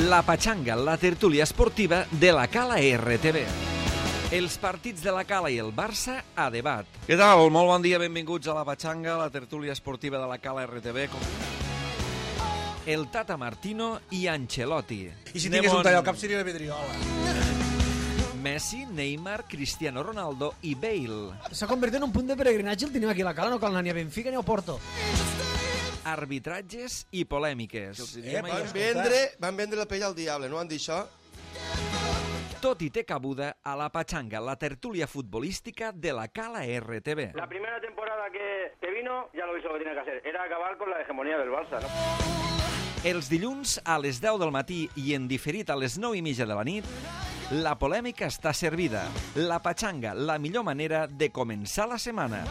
La Patxanga, la tertúlia esportiva de la Cala RTV. Els partits de la Cala i el Barça a debat. Què tal? Molt bon dia, benvinguts a La Patxanga, la tertúlia esportiva de la Cala RTV. El Tata Martino i Ancelotti. I si tingués un tall al cap seria la Vidriola. Messi, Neymar, Cristiano Ronaldo i Bale. S'ha convertit en un punt de peregrinatge el tenim aquí a la Cala, no cal anar ni a Benfica ni a Porto. Arbitratges i polèmiques. Van vendre la pell al diable, no han dit això? Tot i té cabuda a La Patxanga, la tertúlia futbolística de la Cala RTV. La primera temporada que vino, ya lo hizo lo que tenía que hacer. Era acabar con la hegemonía del Barça, ¿no? Els dilluns a les 10 del matí i en diferit a les 9:30 de la nit, la polèmica està servida. La Patxanga, la millor manera de començar la setmana.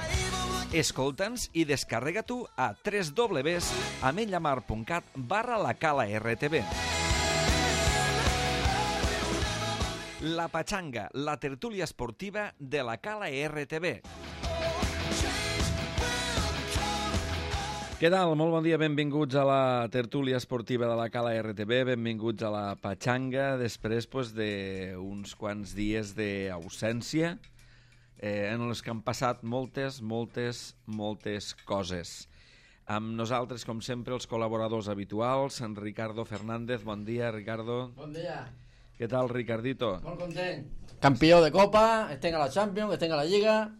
Escolta'ns i descarrega-t'ho a www.amenyamar.cat/lacala-rtv. La Patxanga, la tertúlia esportiva de la Cala RTV. Què tal? Molt bon dia, benvinguts a la tertúlia esportiva de la Cala RTV, benvinguts a la Patxanga, després d'uns quants dies d'ausència en els que han passat moltes coses. Amb nosaltres, com sempre, els col·laboradors habituals, en Ricardo Fernández. Bon dia, Ricardo. Bon dia. Què tal, Ricardito? Molt content. Campió de Copa, estem a la Champions, estem a la Lliga,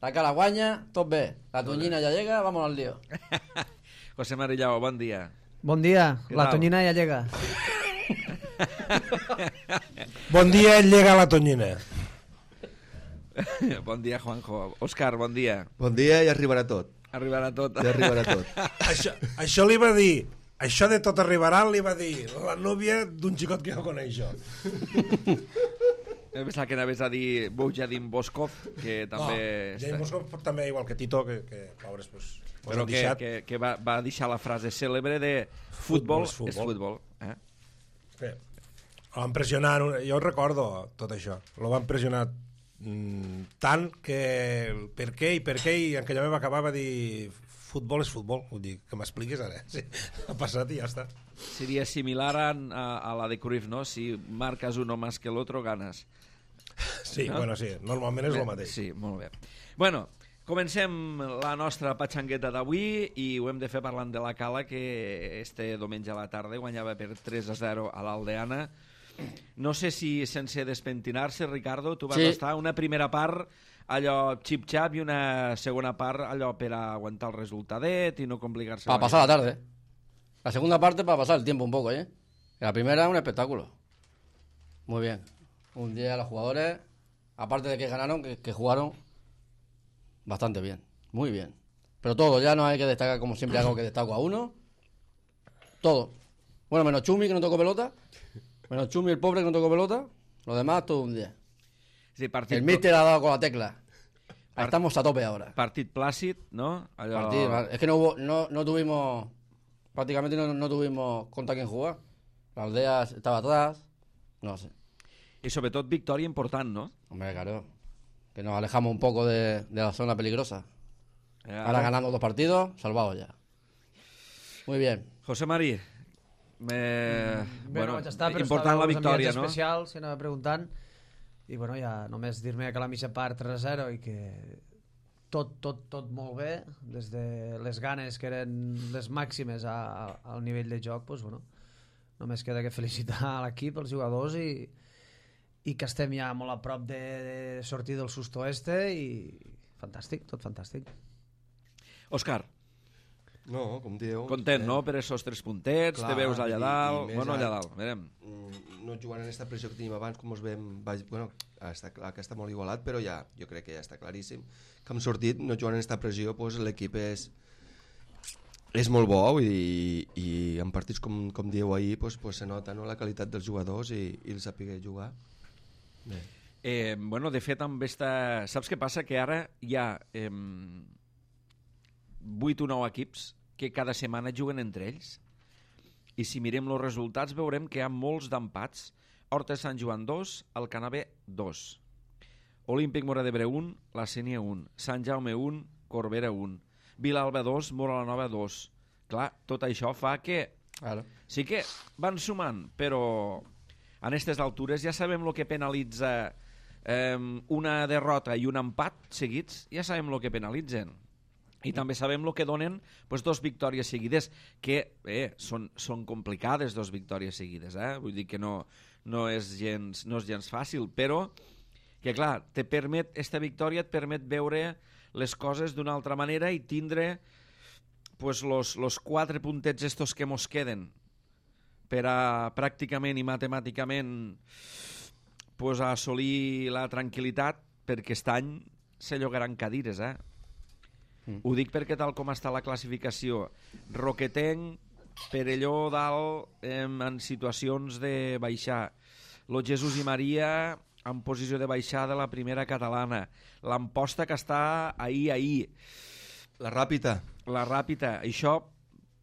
la Cala guanya, tot bé. La Tonyina ja llega, vamos al lío. José Marillao, bon dia. Bon dia, Què la tal? Tonyina ja llega. Bon dia, llega la Tonyina. Bon dia, Juanjo. Òscar, bon dia. Bon dia i arribarà tot. Arribarà tot. Ja arribarà tot. Això li va dir, això de tot arribarà li va dir la núvia d'un xicot que no coneix jo. Em pensava que anaves a dir Bojadim Boskov, que també... No, James Moscov també, igual que Tito, que pobres, pues però que va deixar la frase cèlebre de futbol és futbol. Sí. Lo van pressionar, jo recordo tot això, lo van pressionar tant que per què, i en aquella va acabar va dir futbol és futbol, vull dir, que m'expliquis ara, sí. Ha passat i ja està. Seria similar a la de Cruyff, no? Si marques uno más que el otro, ganas. Sí, no? Bueno, sí, normalment és el mateix. Sí, molt bé. Bueno, comencem la nostra patxangueta d'avui i ho hem de fer parlant de la Cala, que este diumenge a la tarda guanyava per 3-0 a l'Aldeana. No sé si sense despentinar-se, Ricardo, tu vas estar una primera part allò xip-xap i una segona part allò per aguantar el resultadet i no complicar-se. Para pasar la tarde. La segunda parte para pasar el tiempo un poco, ¿eh? La primera un espectáculo. Muy bien. Un día los jugadores, aparte de que ganaron, que jugaron bastante bien. Muy bien. Pero todo, ya no hay que destacar como siempre hago que destaco a uno. Todo. Bueno, menos Chumi que no tocó pelota. Menos Chumi el pobre que no tocó pelota. Los demás todo un día. Sí, el míster ha dado con la tecla. Estamos a tope ahora. Partit plàcid, no? Es que no tuvimos... Prácticamente no tuvimos contra quién jugar. La aldea estaba atrás. No sé. Y sobre todo victoria importante, ¿no? Hombre, claro. Que nos alejamos un poco de la zona peligrosa. Ahora ganando 2 partidos, salvados ya. Muy bien. José Marí, Bueno, vaig estar, però important la victòria, no? especial, si anava preguntant. I bueno, ja només dir-me que la mitja part 3-0 i que tot molt bé, des de les ganes que eren les màximes al nivell de joc, doncs bueno, només queda que felicitar l'equip, els jugadors i que estem ja molt a prop de sortir del susto i fantàstic, tot fantàstic. Òscar. No, com dieu. Content, no? Per esos 3 puntets, te veus allà dalt... Bueno, allà dalt, verem. No jugant en aquesta pressió que tenim abans, com us veiem... Bueno, està clar que està molt igualat, però ja, jo crec que ja està claríssim que hem sortit, no jugant en aquesta pressió, doncs l'equip és molt bo i en partits com dieu ahir doncs se nota, no, la qualitat dels jugadors i el saber jugar. Bé. Bueno, de fet, amb esta... Saps què passa? Que ara hi ha 8 o 9 equips que cada setmana juguen entre ells i si mirem els resultats veurem que hi ha molts d'empats. Horta Sant Joan 2, Alcanavè 2, Olímpic Móra d'Ebre 1, la Sénia 1, Sant Jaume 1, Corbera 1, Vilalba 2, Móra la Nova 2. Clar, tot això fa que Claro. Sí que van sumant, però a aquestes altures ja sabem el que penalitza una derrota i un empat seguits, ja sabem el que penalitzen. I també sabem el que donen pues, 2 victòries seguides, que són complicades 2 victòries seguides. Vull dir que no és gens fàcil, però que clar, esta victòria et permet veure les coses d'una altra manera i tindre pues, los 4 puntets estos que mos queden per a pràcticament i matemàticament pues, a assolir la tranquil·litat, perquè aquest any se llogaran cadires, Ho dic perquè tal com està la classificació, Roquetenc, Perelló dalt en situacions de baixar, Lo Jesús i Maria en posició de baixar de la primera catalana, l'Amposta que està ahir, La Ràpita, això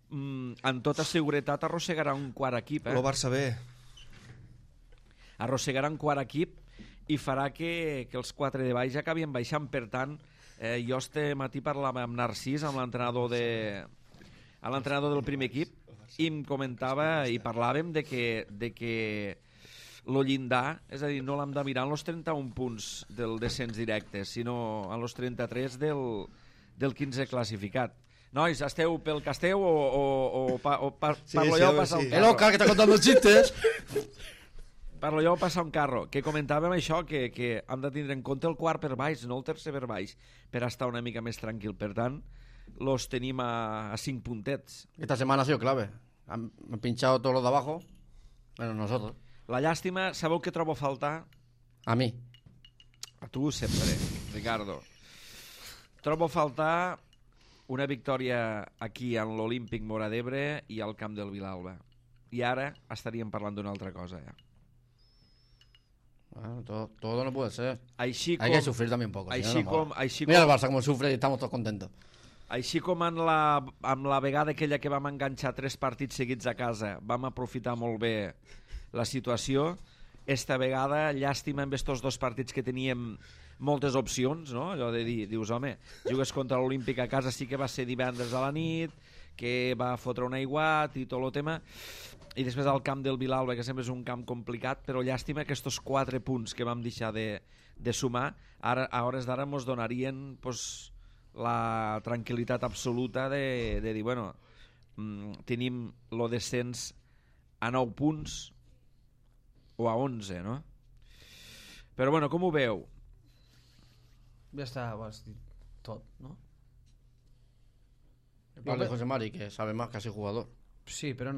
en tota seguretat arrossegarà un quart equip, lo Barça B, arrossegarà un quart equip i farà que els 4 de baix acabin baixant. Per tant, jo este matí parlava amb Narcís, amb l'entrenador del primer equip, i em comentava i parlàvem de que lo llindar, és a dir, no l'hem de mirar en els 31 punts del descens directe, sinó en els 33 del 15 classificat. Nois, esteu pel que esteu o parlo jo o passa un El carro? Oscar, que está contando chistes. Parlo jo o passa un carro? Que comentàvem això, que hem de tindre en compte el quart per baix, no el tercer per baix, per estar una mica més tranquil. Per tant, los tenim a 5 puntets. Esta semana ha sido clave. Han pinchado todos los de abajo, menos nosotros. La llàstima, sabeu què trobo a faltar? A mí. A tu sempre, Ricardo. Trobo a faltar una victòria aquí en l'Olímpic Móra d'Ebre i al camp del Vilalba. I ara estaríem parlant d'una altra cosa, ja. Bueno, todo no puede ser. Així Hay que sufrir también un poco. Així com, Mira el Barça como sufre y estamos todos contentos. Així com amb la vegada aquella que vam enganxar 3 partits seguits a casa, vam aprofitar molt bé la situació, esta vegada, llàstima amb estos 2 partits que teníem moltes opcions, no? Allò de dir, dius, home, jugues contra l'Olímpic a casa, sí que va ser divendres a la nit, que va fotre un aiguat i tot el tema, i després al camp del Vilalba, que sempre és un camp complicat, però llàstima que estos 4 punts que vam deixar de sumar, ara, a hores d'ara mos donarien pues, la tranquil·litat absoluta de dir, bueno, tenim lo descens a 9 punts o a 11, no? Però bueno, com ho veu? Ja està, ho has dit tot, no? Vale, José Mari, que sabe más que ha sido jugador. Sí, però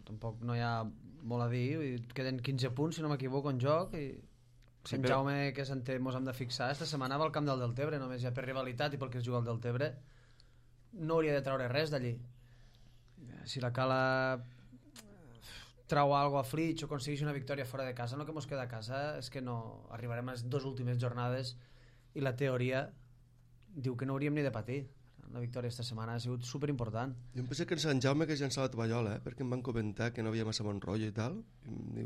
tampoc no hi ha molt a dir. Queden 15 punts, si no m'equivoco, en joc, i Sant Jaume, que mos hem de fixar, esta setmana va al camp del Deltebre, només ja per rivalitat i perquè es juga al Deltebre, no hauria de treure res d'allí. Si la Cala trau alguna cosa a Flix o aconsegueix una victòria fora de casa, no que mos queda a casa, és que no arribarem a les 2 últimes jornades i la teoria diu que no hauríem ni de patir. La victòria esta setmana ha sigut superimportant. Jo em pensé que en Sant Jaume que llançava la tovallola, perquè em van comentar que no havia massa bon rotllo i tal.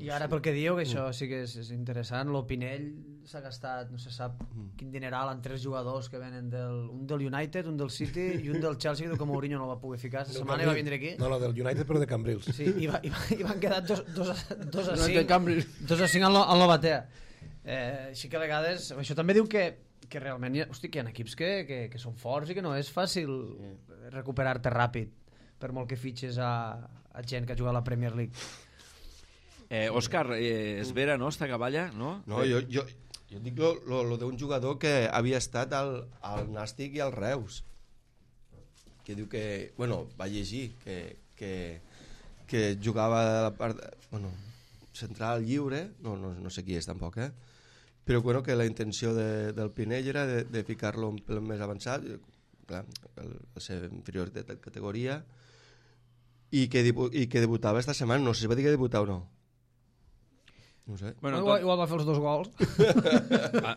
I ara pel que dieu, que això sí que és interessant, l'Opinell s'ha gastat, no se sap quin dineral en 3 jugadors que venen un del United, un del City i un del Chelsea, que com Mourinho no el va poder ficar. La setmana va vindre aquí. No, no, del United, però de Cambrils. Sí, i van quedar 2 a 5. De Cambrils. 2 a 5 en l'Obatea. Així que a vegades... Això també diu que realment hi ha equips que són forts i que no és fàcil recuperar-te ràpid, per molt que fitxes a gent que ha jugat a la Premier League. Òscar, és vera, no, esta caballa? No, jo dic lo d'un jugador que havia estat al Nàstic i al Reus, que diu que, bueno, va llegir que jugava a la part, bueno, central lliure, no sé qui és tampoc, però bueno, que la intenció del Pinell era de ficar-lo un pel més avançat, clar, el ser inferior de categoria, i que debutava esta setmana. No sé si va dir que debutava o no. No sé. Bueno, igual va fer els 2 gols.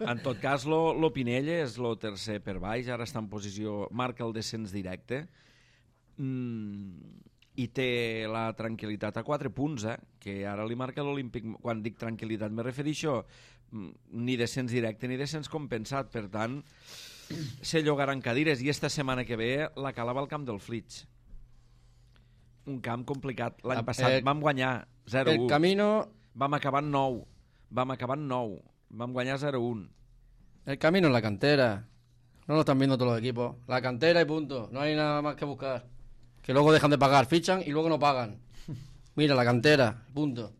En tot cas, lo Pinell és el tercer per baix, ara està en posició, marca el descens directe, i té la tranquil·litat a 4 punts, que ara li marca l'Olímpic. Quan dic tranquil·litat me refereixo ni descens directe ni descens compensat, per tant se llogaran cadires, i esta setmana que ve la Cala va al camp del Flix, un camp complicat. L'any passat vam guanyar 0-1. El camino... Vam acabar en 9. Vam guanyar 0-1. El camino es la cantera. No lo están viendo todos los equipos. La cantera y punto. No hay nada más que buscar. Que luego dejan de pagar, fichan y luego no pagan. Mira, la cantera, punto.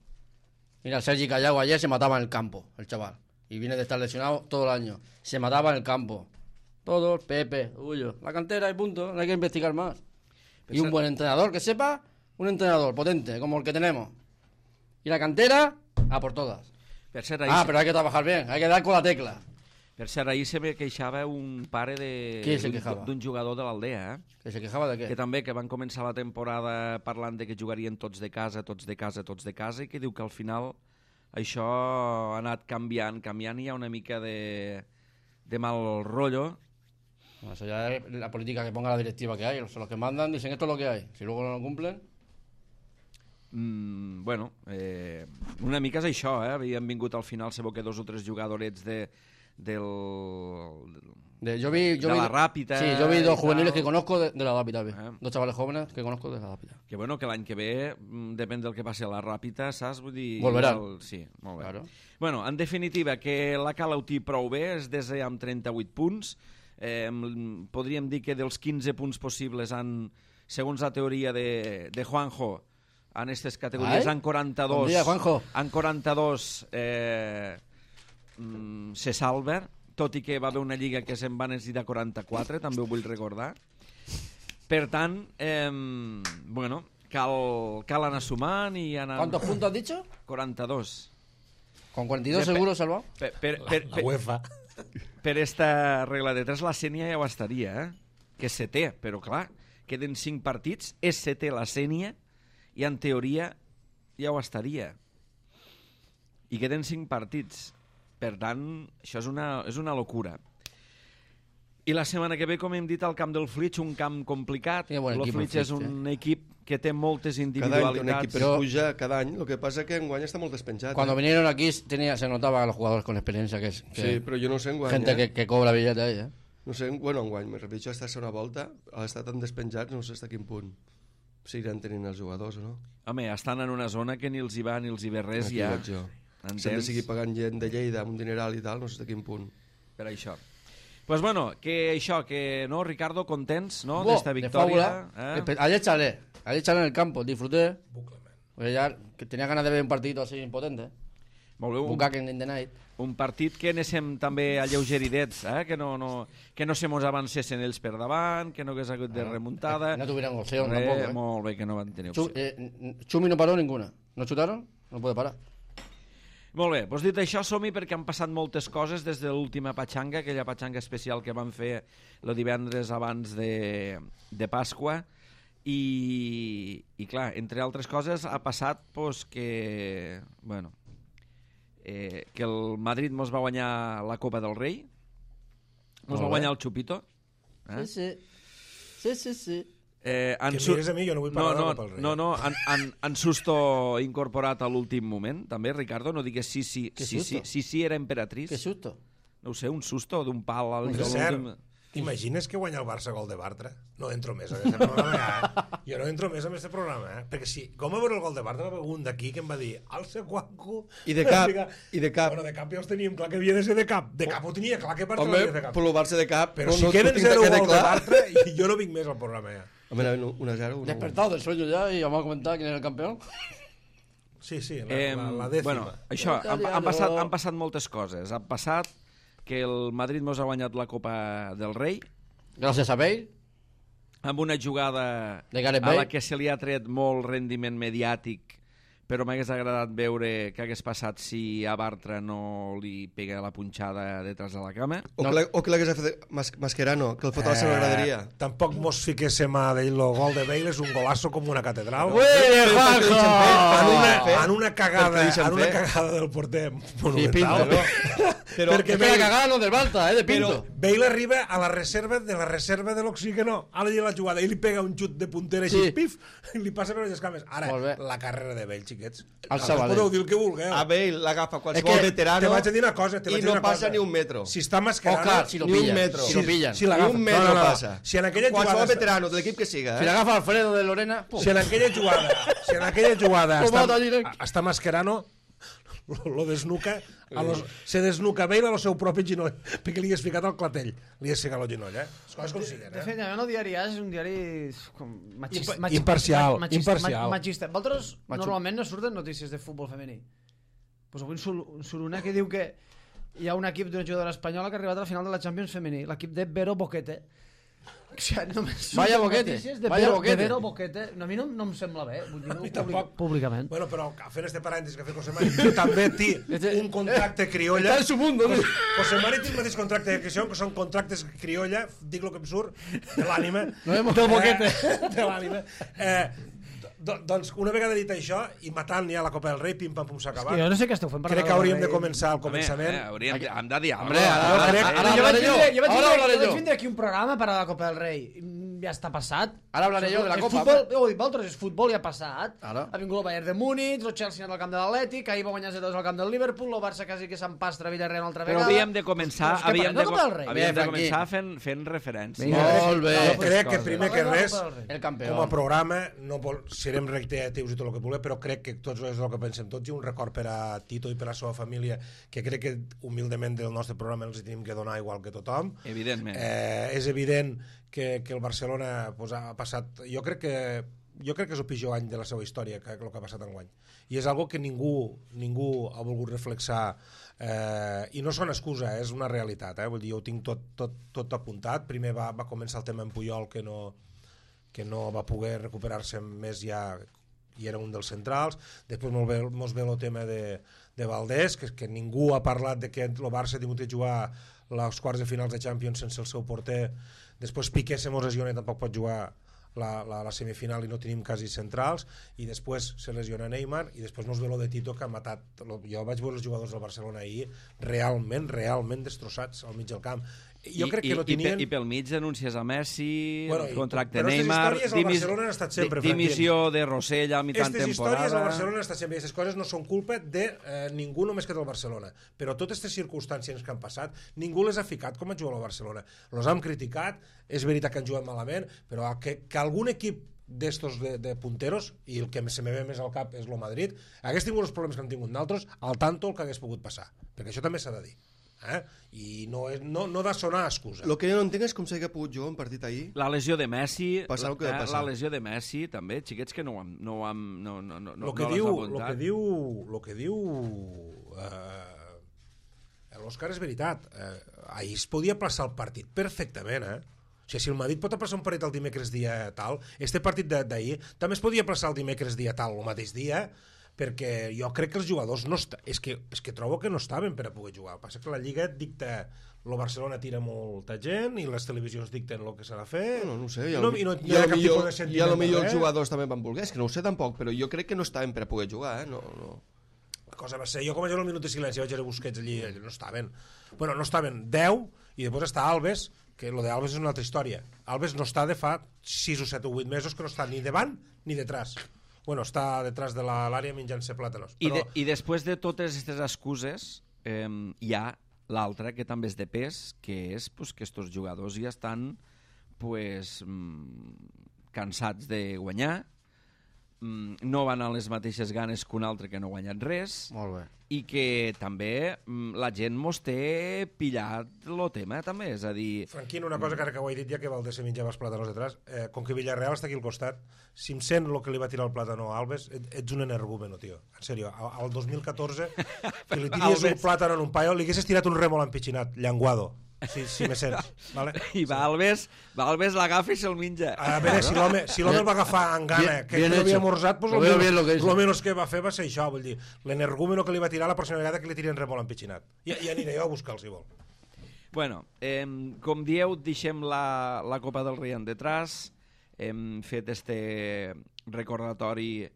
Mira, Sergi Callao ayer se mataba en el campo, el chaval. Y viene de estar lesionado todo el año. Se mataba en el campo. Todos, Pepe, Ullo. La cantera y punto. No hay que investigar más. Y un buen entrenador, que sepa, un entrenador potente, como el que tenemos. Y la cantera, a por todas. Pero hay que trabajar bien, hay que dar con la tecla. Per cert, ahir se me queixava un pare d'un jugador de l'Aldea, Que se quejava de què? que van començar la temporada parlant de que jugarien tots de casa, i que diu que al final això ha anat canviant i hi ha una mica de mal rollo. Bueno, eso ya es la política que ponga la directiva que hay. Los que mandan dicen esto es lo que hay. Si luego no lo cumplen... una mica és això, havien vingut al final se veu que 2 o 3 jugadorets de la Ràpita. Sí, yo vi 2 juveniles que conozco de la Ràpita. 2 chavales jóvenes que conozco de la Ràpita. Que bueno, que l'any que ve, depèn del que passi a la Ràpita, saps? Vull dir... Volveran. Sí, molt bé. Claro. Bueno, en definitiva, que la Cala ho té prou bé, és des amb 38 punts. Podríem dir que dels 15 punts possibles, segons la teoria de Juanjo, en aquestes categories, en 42... Bon dia, Juanjo. En 42... se salva, tot i que va haver una lliga que se'n va necessitar 44, també ho vull recordar. Per tant, cal anar sumant i anar... ¿Cuántos puntos has dicho? 42. ¿Con 42 seguro salvado? La UEFA. Per esta regla de 3 la Sènia ja ho estaria, que és setè, però clar, queden 5 partits, és setè la Sènia i en teoria ja ho estaria. I queden 5 partits. Per tant, això és una locura. I la setmana que ve, com hem dit, al camp del Flix, un camp complicat. El Flix és un equip que té moltes individualitats. Cada any que un equip puja cada any, lo que pasa es que enguany està molt despenjat. Cuando vinieron aquí se notaba a los jugadores con experiencia que sí, però jo no sé enguany. Gente que cobra billete ahí, No sé, enguany, me repeteixo, esta segona volta, al estar tan despenjats, no sé fins a quin punt seguiran tenint els jugadors o no. Home, estan en una zona que ni els hi va ni els hi ve res aquí ja. Si hem de seguir pagant gent de Lleida amb un dineral i tal, no sé a quin punt. Per això. Pues bueno, que això, que no, Ricardo, contents, ¿no? D'esta victòria. Ayer charlé en el campo, disfruté. Porque ya que tenía ganas de ver un partidito así impotente. Molt bé, Bucaken in the night. Un partit que anéssim també alleugeridets, que no se mos avancessin ells per davant, que no hagués hagut de remuntada. No tuvieron opción tampoco. Molt bé, que no van tenir opció. Chumi no paró ninguna. ¿No chutaron? No puede parar. Molt bé, doncs dit això, som-hi perquè han passat moltes coses des de l'última patxanga, aquella patxanga especial que van fer el divendres abans de Pasqua, i clar, entre altres coses ha passat pues, que el Madrid mos va guanyar la Copa del Rei, mos va guanyar el Chupito. Sí. Que mires a mi, jo no vull parlar de la Copa del Rei. No, en susto incorporat a l'últim moment, també, Ricardo, no digues sí, era emperatriz. Que susto? No ho sé, un susto d'un pal al l'últim... T'imagines que guanya el Barça gol de Bartra? No entro més en aquest programa, Jo no entro més en aquest programa, Perquè si, com a veure el gol de Bartra, va haver un d'aquí que em va dir alça Juanjo... I de cap. Bueno, de cap ja els teníem clar que havia de ser de cap. De cap ho tenia clar que Bartra l'havia de cap. Home, per Barça de cap... Però si queden 0 gol de Bartra, jo no vinc més al programa, Home, 1-0... Despertado del sueño ya y vamos a comentar quién es el campeón. Sí, la dècima. Bueno, això, han passat moltes coses. Ha passat que el Madrid mos ha guanyat la Copa del Rei. Gràcies a Bale. Amb una jugada a la que se li ha tret molt rendiment mediàtic, però m'hagués agradat veure què hagués passat si a Bartra no li pega la punxada detrás de la cama. O que l'hagués fet Mascherano, que el fot a la seva graderia. Tampoc mos fiquéssim a dir el gol de Bale és un golazo com una catedral. En una cagada del porter monumental. Perquè la cagada no del Balta, de Pinto. Bale arriba a la reserva de l'oxígeno, a la jugada, i li pega un xut de puntera així, pif, i li passa per les cames. Ara, la carrera de Bale, xiquets. Al Sabadell. Podeu dir el que vulgueu. A Bale l'agafa qualsevol veterano te vaig a dir una cosa, i no passa ni un metro. Si està Mascherano... Oscar, si lo Ni un pillan. metro. Si lo pillan. Si Ni l'agafa. un metro passa. Si en aquella Qualsevol jugada... veterano de l'equip que siga, Si l'agafa Alfredo de Lorena... pum. Si en aquella jugada Lo mata directe. està Mascherano, lo desnuca, se desnuca Bale a lo seu propi genoll, perquè li has ficat el clatell, li has ficat el genoll, Les coses com siguen, De fet, el diari és un diari Imparcial. machista. Vosaltres normalment no surten notícies de futbol femení. Pues avui surt una que diu que hi ha un equip d'una jugadora espanyola que ha arribat a la final de la Champions femení, l'equip de Vero Boquete. O sigui, només Vaya surten Boquete, notícies de vaya Vero, Boquete. de Vero Boquete. A mi no em sembla bé, vull dir, tampoc. públicament. Bueno, però fent este parèntesis que ha fet José Mari, que també té un contracte criolla. Està en su mundo, ¿no? José Mari té el mateix contracte que això, que són contractes criolla, dic el que em surt, de l'ànima. Del Boquete. De l'ànima. Doncs una vegada dit això, i matant ja la Copa del Rei, pim-pam-pum s'ha acabat. Jo no sé què esteu fent. per Crec que la hauríem de Rei. començar al començament. Hem de dir Hombre, alguna cosa. ara Jo vaig hablaré yo. vindre- jo vaig Ahora vindre- hablaré jo vaig yo. vindre aquí un programa per a la Copa del Rei. Ja està passat. Ara hablaré yo de la El Copa. Futbol, ho dic vosaltres, és futbol ja ha passat. Ara. Ha vingut el Bayern de Múnich, el Chelsea al camp de l'Atlètic, ahir va guanyar 0-2 al camp del Liverpool, el Barça quasi que s'empastra a Villarreal una altra Però vegada. havíem de començar, Doncs què parlem de Copa del Rei? havíem de Franqui. començar fent referència. Molt bé. Jo crec que primer que res, El com a campeón. programa, no serem reiteratius i tot el que vulguem, però crec que tots és el que pensem tots, i un record per a Tito i per a la seva família, que crec que humilment del nostre programa els hi tenim que donar igual que tothom. Evidentment. És evident que el Barcelona pues, ha passat... Jo crec que és el pitjor any de la seva història, que el que ha passat enguany. I és algo que ningú ha volgut reflexar, i no són excusa, és una realitat. Vull dir, jo ho tinc tot apuntat. Primer va començar el tema en Puyol, que no va poder recuperar-se més ja, i era un dels centrals. Després mos ve el tema de Valdés, que ningú ha parlat de que el Barça ha tingut de jugar les quarts de finals de Champions sense el seu porter. Després Piqué se mos lesiona i tampoc pot jugar la semifinal i no tenim quasi centrals, i després se lesiona Neymar, i després mos ve lo de Tito, que ha matat. Jo vaig veure els jugadors del Barcelona ahir realment destrossats al mig del camp. Jo crec que no tenien... I pel mig denúncies a Messi, Bueno, contracte però aquestes Neymar, històries al Barcelona han estat sempre, dimissió de Rossell a mitjan Aquestes històries al temporada. Barcelona han estat sempre, aquestes coses no són culpa de ningú només que del Barcelona, però totes aquestes circumstàncies que han passat ningú les ha ficat com a jugar al Barcelona. Los han criticat, és veritat que han jugat malament, però que algun equip d'estos de punteros, i el que se me ve més al cap és el Madrid, hagués tingut els problemes que han tingut nosaltres, al tanto el que hagués pogut passar, perquè això també s'ha de dir. I no ha de sonar excusa. El que jo no entenc és com s'ha pogut jugar un partit ahir. La lesió de Messi, Passar el que va passar. la lesió de Messi també, xiquets que no Lo que diu l'Òscar és veritat. Ahir es podia plaçar el partit perfectament, O sigui, si el Madrid pot aplaçar un partit el dimecres dia tal, este partit d'ahir també es podia aplaçar el dimecres dia tal, el mateix dia, perquè jo crec que els jugadors no és que trobo que no estaven per a poder jugar. El que passa que la Lliga et dicta, el Barcelona tira molta gent i les televisions dicten el que s'ha de fer. No ho sé, i no hi ha cap tipus de sentiment. I a lo millor els jugadors també van voler, és que no ho sé tampoc, però jo crec que no estaven per a poder jugar, No. La cosa va ser, jo com vaig veure el minut de silenci vaig veure Busquets allí, no estaven. Bueno, no estaven 10, i després està Alves, que lo de Alves és una altra història. Alves no està de fa 6 o 7 o 8 mesos que no està ni davant ni detrás. Bueno, està detrás de l'àrea menjant-se plàtanos. Però... I després de totes aquestes excuses, hi ha l'altra, que també és de pes, que és que estos jugadors ja estan cansats de guanyar, no van a les mateixes ganes que un altre que no ha guanyat res, Molt bé. i que també la gent mos té pillat el tema, també, és a dir... Franquín, una cosa que ara que ho he dit ja, que Valdés se menjava els plàtanos detrás, com que Villarreal està aquí al costat, si em sent el que li va tirar el plàtano a Alves, ets un energúmeno, tio. En sèrio, al 2014, que li tiries un plàtano en un paio, li haguessis tirat un rèmol empitxinat, llenguado, si me sents. Vale? I va Alves l'agafa i se'l menja. A veure, si l'home el va agafar en gana, que no havia amorzat, pues lo menos que va fer va ser això, vull dir, l'energúmeno que li va tirar la pròxima vegada que li tiren rèmol empitxinat. I aniré jo a buscar-lo, si vol. Bueno, com dieu, deixem la Copa del Rei en detrás, hem fet este recordatori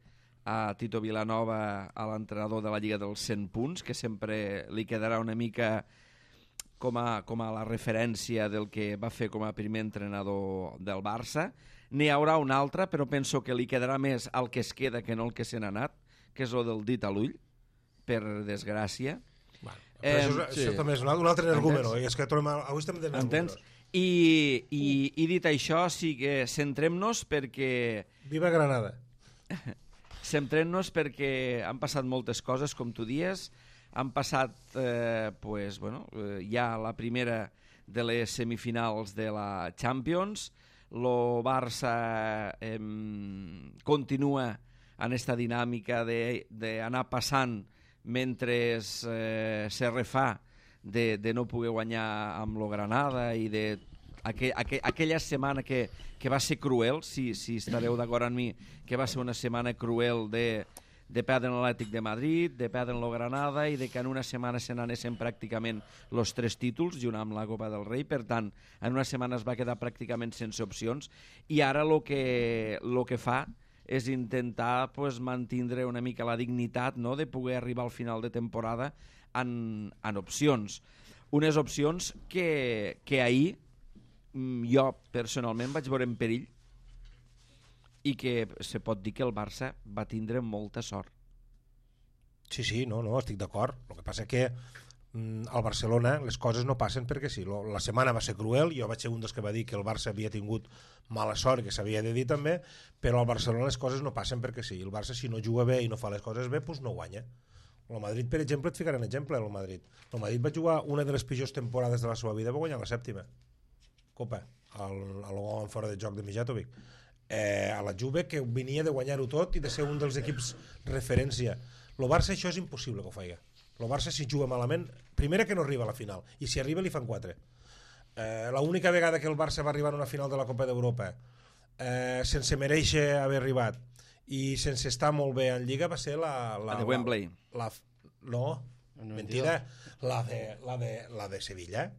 a Tito Vilanova, a l'entrenador de la Lliga dels 100 punts, que sempre li quedarà una mica com a la referència del que va fer com a primer entrenador del Barça. N'hi haurà un altre, però penso que li quedarà més al que es queda que no el que se n'ha anat, que és el del dit a l'ull, per desgràcia. Bueno, però això també és un altre argument, és que avui estem de entens? I dit això, sí que centrem-nos perquè... Viva Granada! Centrem-nos perquè han passat moltes coses, com tu dies, han passat ja la primera de les semifinals de la Champions, el Barça continua en esta dinàmica d'anar passant mentre se refà de no poder guanyar amb lo Granada i aquella setmana que va ser cruel, si estareu d'acord amb mi, que va ser una setmana cruel de perdre l'Atlètic de Madrid, de perdre el Granada i de que en una setmana se n'anessin pràcticament els 3 títols junt amb la Copa del Rei. Per tant, en una setmana es va quedar pràcticament sense opcions i ara el que fa és intentar mantindre una mica la dignitat, no?, de poder arribar al final de temporada en opcions. Unes opcions que ahir jo personalment vaig veure en perill i que se pot dir que el Barça va tindre molta sort. Sí, no, estic d'acord. El que passa que al Barcelona les coses no passen perquè sí. La setmana va ser cruel, jo vaig ser un dels que va dir que el Barça havia tingut mala sort, que s'havia de dir també, però al Barcelona les coses no passen perquè sí. El Barça, si no juga bé i no fa les coses bé, doncs no guanya. El Madrid, per exemple, et ficaré un exemple. El Madrid va jugar una de les pitjors temporades de la seva vida, va guanyar la 7ª Copa, al gol en fora de joc de Mijatovic. A la Juve, que venia de guanyar-ho tot i de ser un dels equips referència. El Barça això és impossible que ho faci. El Barça, si juga malament, primera que no arriba a la final, i si arriba li fan 4. L'única vegada que el Barça va arribar a una final de la Copa d'Europa sense mereixer haver arribat i sense estar molt bé en Lliga va ser la de Wembley. No, mentida, la de Sevilla.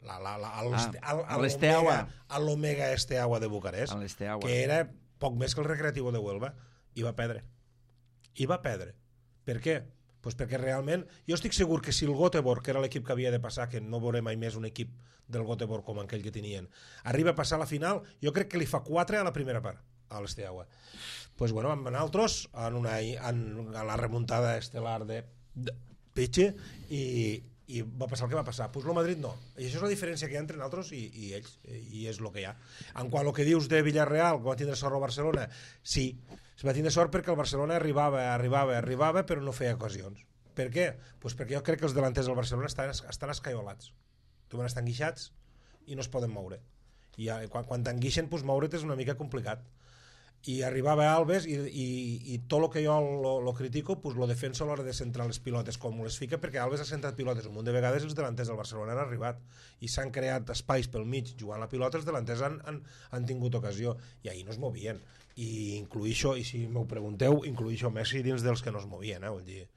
A l'Omega Esteaua de Bucarest, que era poc més que el Recreativo de Huelva, i va perdre. Per què? Pues perquè realment jo estic segur que si el Göteborg, que era l'equip que havia de passar, que no veurem mai més un equip del Göteborg com aquell que tenien, arriba a passar a la final, jo crec que li fa 4 a la primera part a l'Esteaua. Pues bueno, vam anar altres en la remuntada estel·lar de Piche i va passar el que va passar. Pues el Madrid no. I això és la diferència que hi ha entre nosaltres i ells, i és el que hi ha. En quant al que dius de Villarreal, que va tindre sort al Barcelona, sí, es va tindre sort perquè el Barcelona arribava, però no feia ocasions. Per què? Pues perquè jo crec que els delanters del Barcelona estan escaiolats. Estan enguixats i no es poden moure. I quan t'enguixen, pues moure't és una mica complicat. I arribava Alves i tot el que jo lo critico, pues lo defenso a l'hora de centrar les pilotes com les fica, perquè Alves ha centrat pilotes un munt de vegades i els delanters del Barcelona han arribat i s'han creat espais pel mig jugant la pilota, els delanters han tingut ocasió i ahir no es movien, i incluïxo, i si m'ho pregunteu, incluïxo Messi dins dels que no es movien, vull dir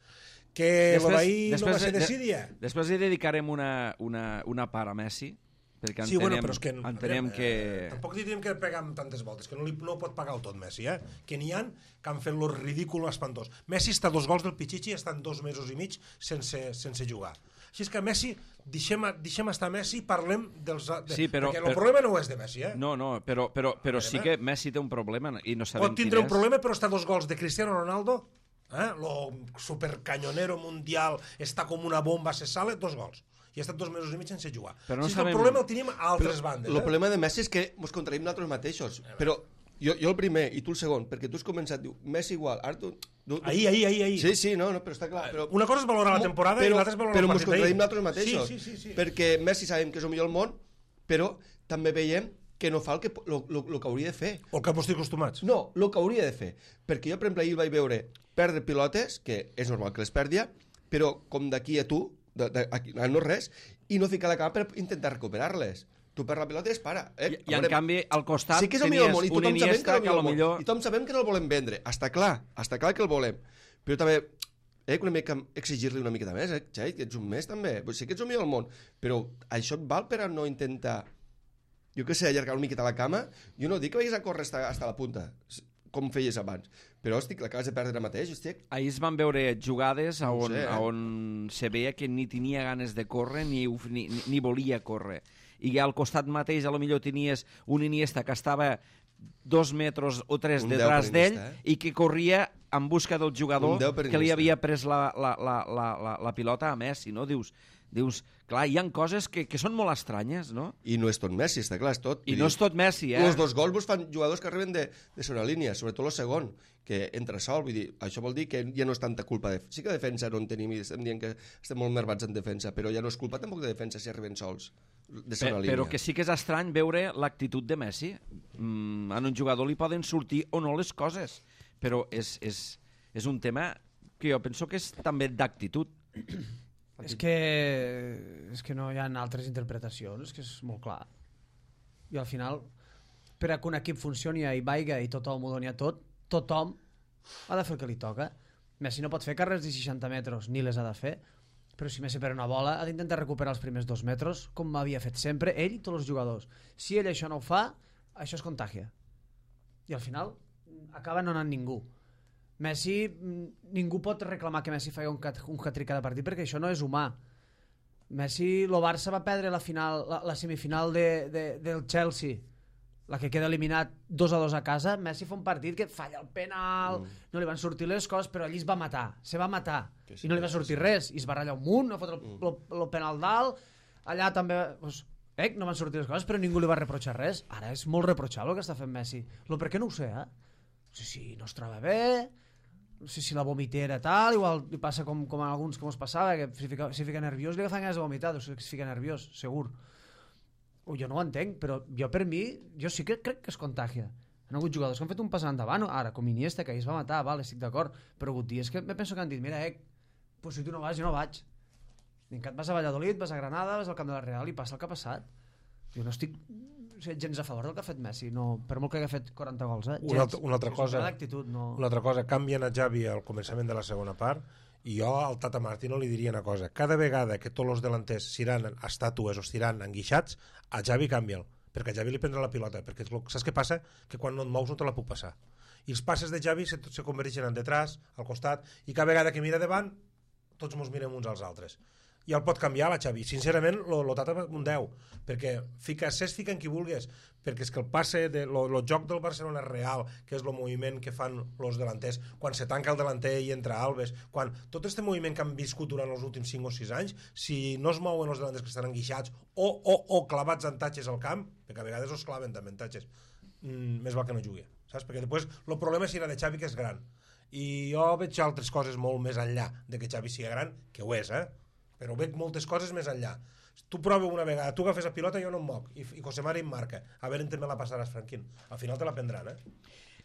que l'ahir no va ser decidia. Després hi dedicarem una part a Messi, perquè sí, bueno, però és que entenem que... Tampoc diríem que pegar amb tantes voltes, que no pot pagar tot Messi, que n'hi ha que han fet lo ridícul espantós. Messi està a 2 gols del Pichichi i estan 2 mesos i mig sense jugar. Així és que Messi, deixem estar Messi i parlem dels... Sí, perquè el problema no és de Messi, No, però sí que Messi té un problema i no sabem pot tindre un problema, però està a 2 gols de Cristiano Ronaldo, lo supercanyonero mundial, està com una bomba, se sale, 2 gols. I ha estat 2 mesos i mig sense jugar. Però no si sabem... el problema el tenim a altres bandes. El problema de Messi és que ens contraïm nosaltres mateixos. Però jo el primer i tu el segon, perquè tu has començat, diu, Messi igual. Ara tu... Ahir. Sí, no, però està clar. Però... Una cosa és valorar la temporada i l'altra és valorar el partit d'ahir. Però ens contraïm nosaltres mateixos. Sí. Perquè Messi sabem que és el millor del món, però també veiem que no fa el que hauria de fer. O el que estic acostumats. No, el que hauria de fer. Perquè jo, per exemple, ahir vaig veure perdre pilotes, que és normal que les perdia, però com d'aquí a tu, no res, i no ficar la cama per intentar recuperar-les. Tu per la pilota i es para. I en canvi, al costat sí que és tenies món, un Iniesta que potser... I tothom sabem que no el volem vendre. Està clar que el volem. Però també una mica exigir-li una miqueta més, Xai, que ets un mes també. Sí que ets el millor del món, però això et val per a no intentar, jo què sé, allargar una miqueta la cama? Jo no dic que vagis a córrer fins a la punta, com feies abans, però l'acabes de perdre ara mateix, estic. Ahir es van veure jugades on se veia que ni tenia ganes de córrer ni volia córrer, i al costat mateix a lo millor tenies un Iniesta que estava 2 metres o 3 detrás d'ell i que corria en busca del jugador Un 10 per que li Iniesta. havia pres la pilota a Messi, no? Dius, clar, hi ha coses que són molt estranyes, no? I no és tot Messi, està clar, és tot. I no és tot Messi, Els 2 gols vos fan jugadors que arriben de segona línia, sobretot el segon, que entra sol, vull dir, això vol dir que ja no és tanta culpa de... Sí que defensa no en tenim, i estem dient que estem molt nervats en defensa, però ja no és culpa tampoc de defensa si arriben sols de segona línia. Però que sí que és estrany veure l'actitud de Messi. En un jugador li poden sortir o no les coses, però és un tema que jo penso que és també d'actitud. És que no hi ha altres interpretacions, que és molt clar. I al final, per a que un equip funcioni i vaiga i tothom ho doni a tot, tothom ha de fer el que li toca. Messi no pot fer carreres de 60 metres, ni les ha de fer, però si Messi per una bola ha d'intentar recuperar els primers 2 metres, com havia fet sempre, ell i tots els jugadors. Si ell això no ho fa, això es contàgia. I al final acaba no anant ningú. Messi, ningú pot reclamar que Messi faci un hat-trick cada partit perquè això no és humà. Messi, el Barça va perdre la semifinal del Chelsea, la que queda eliminat 2-2 a casa. Messi fa un partit que falla el penal, no li van sortir les coses, però allí es va matar, i no li va sortir res, i es va ratllar un munt, no fot el penal dalt, allà també doncs, no van sortir les coses, però ningú li va reprochar res. Ara és molt reprochable el que està fent Messi. Per què no ho sé, No sé si no es troba bé, no sé si la vomitera tal, igual li passa com a alguns que ens passava, que si fica nerviós li agafen ganes de vomitar, si fica nerviós, segur. Jo no ho entenc, però jo per mi, jo sí que crec que es contagia. Han hagut jugadors que han fet un pas endavant, ara, com Iniesta, que ahir es va matar, vale, estic d'acord, però ha hagut dies que me penso que han dit, mira, pues si tu no vas, jo no vaig. Vincat, vas a Valladolid, vas a Granada, vas al camp de la Real i passa el que ha passat. Jo no estic gens a favor del que ha fet Messi, no, per molt que hagi fet 40 gols, Una altra cosa, canvien a Xavi al començament de la segona part, i jo al Tata Martino li diria una cosa: cada vegada que tots els delanters seran estàtues o estiran enguixats, a Xavi canvia'l, perquè a Xavi li prendrà la pilota, perquè saps què passa? Que quan no et mous no te la puc passar, i els passes de Xavi se converteixen en detrás, al costat, i cada vegada que mira davant tots mos mirem uns als altres. I el pot canviar la Xavi, sincerament lo Tata un 10, perquè fica en qui vulguis, perquè és que el passe el joc del Barcelona és real, que és el moviment que fan els delanters quan se tanca el delanter i entra Alves, quan tot aquest moviment que han viscut durant els últims 5 o 6 anys, si no es mouen els delanters que estan enguixats o clavats en tatxes al camp, perquè a vegades els claven també en tatxes, més val que no jugui, saps? Perquè després el problema serà de Xavi, que és gran, i jo veig altres coses molt més enllà de que Xavi sigui gran, que ho és, però veig moltes coses més enllà. Tu prova una vegada, tu agafes la pilota, jo no em moc, i Cosemare em marca, a veure on me la passaràs, Franquín. Al final te la prendran,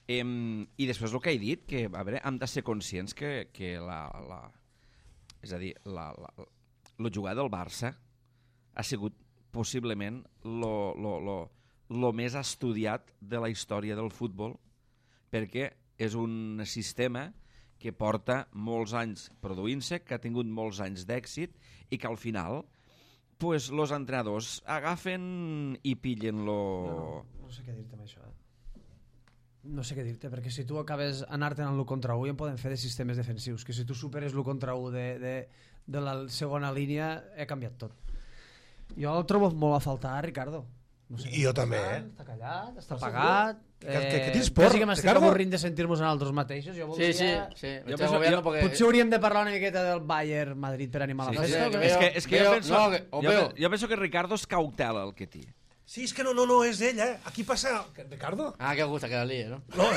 I després el que he dit, que a veure, hem de ser conscients que és a dir, el jugar del Barça ha sigut possiblement lo més estudiat de la història del futbol, perquè és un sistema que porta molts anys produint-se, que ha tingut molts anys d'èxit i que al final pues, los entrenadors agafen i pillen lo... No sé què dir-te amb això. No sé què dir-te, perquè si tu acabes anar-te'n en l'1 contra 1 ja en poden fer de sistemes defensius, que si tu superes l'1 contra 1 de la segona línia he canviat tot. Jo el trobo molt a faltar, Ricardo. No sé, i jo també, Està callat, està apagat. Que tens por, quasi que m'estic Ricardo? avorrint de sentir-nos en altres mateixos. Jo voldria... Sí. Potser hauríem de parlar una miqueta del Bayern Madrid per animar la festa. És que jo penso que Ricardo es cautela el que té. Sí, és que no, és ell, Aquí passa... Ricardo? Que gusta que la líe, ¿no? No,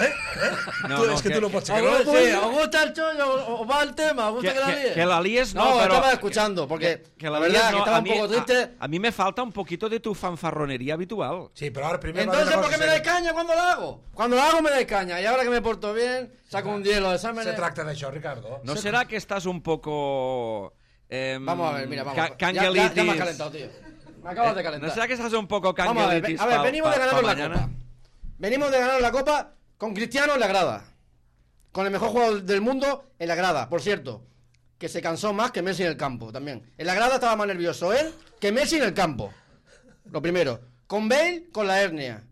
és que tu no pots ser... ¿Os gusta el chollo o va el tema? ¿Os gusta que la líe? Que la líes no, pero... pero... estaba escuchando, porque que la verdad no, que estaba un poco triste. A mí me falta un poquito de tu fanfarronería habitual. Sí, pero ahora primero... Entonces, ¿por qué me dais caña cuando lo hago? Cuando lo hago me dais caña, y ahora que me porto bien, saco un 10 los exámenes... Se tracta d'això, Ricardo. ¿No será que estás un poco... vamos a ver, mira, vamos. Ya me has calentado, tío. Me acabas de calentar. ¿No será que estás un poco Vamos a ver, venimos de ganar la Copa. Venimos de ganar la Copa con Cristiano en la grada. Con el mejor jugador del mundo en la grada. Por cierto, que se cansó más que Messi en el campo también. En la grada estaba más nervioso él que Messi en el campo. Lo primero. Con Bale, con la hernia.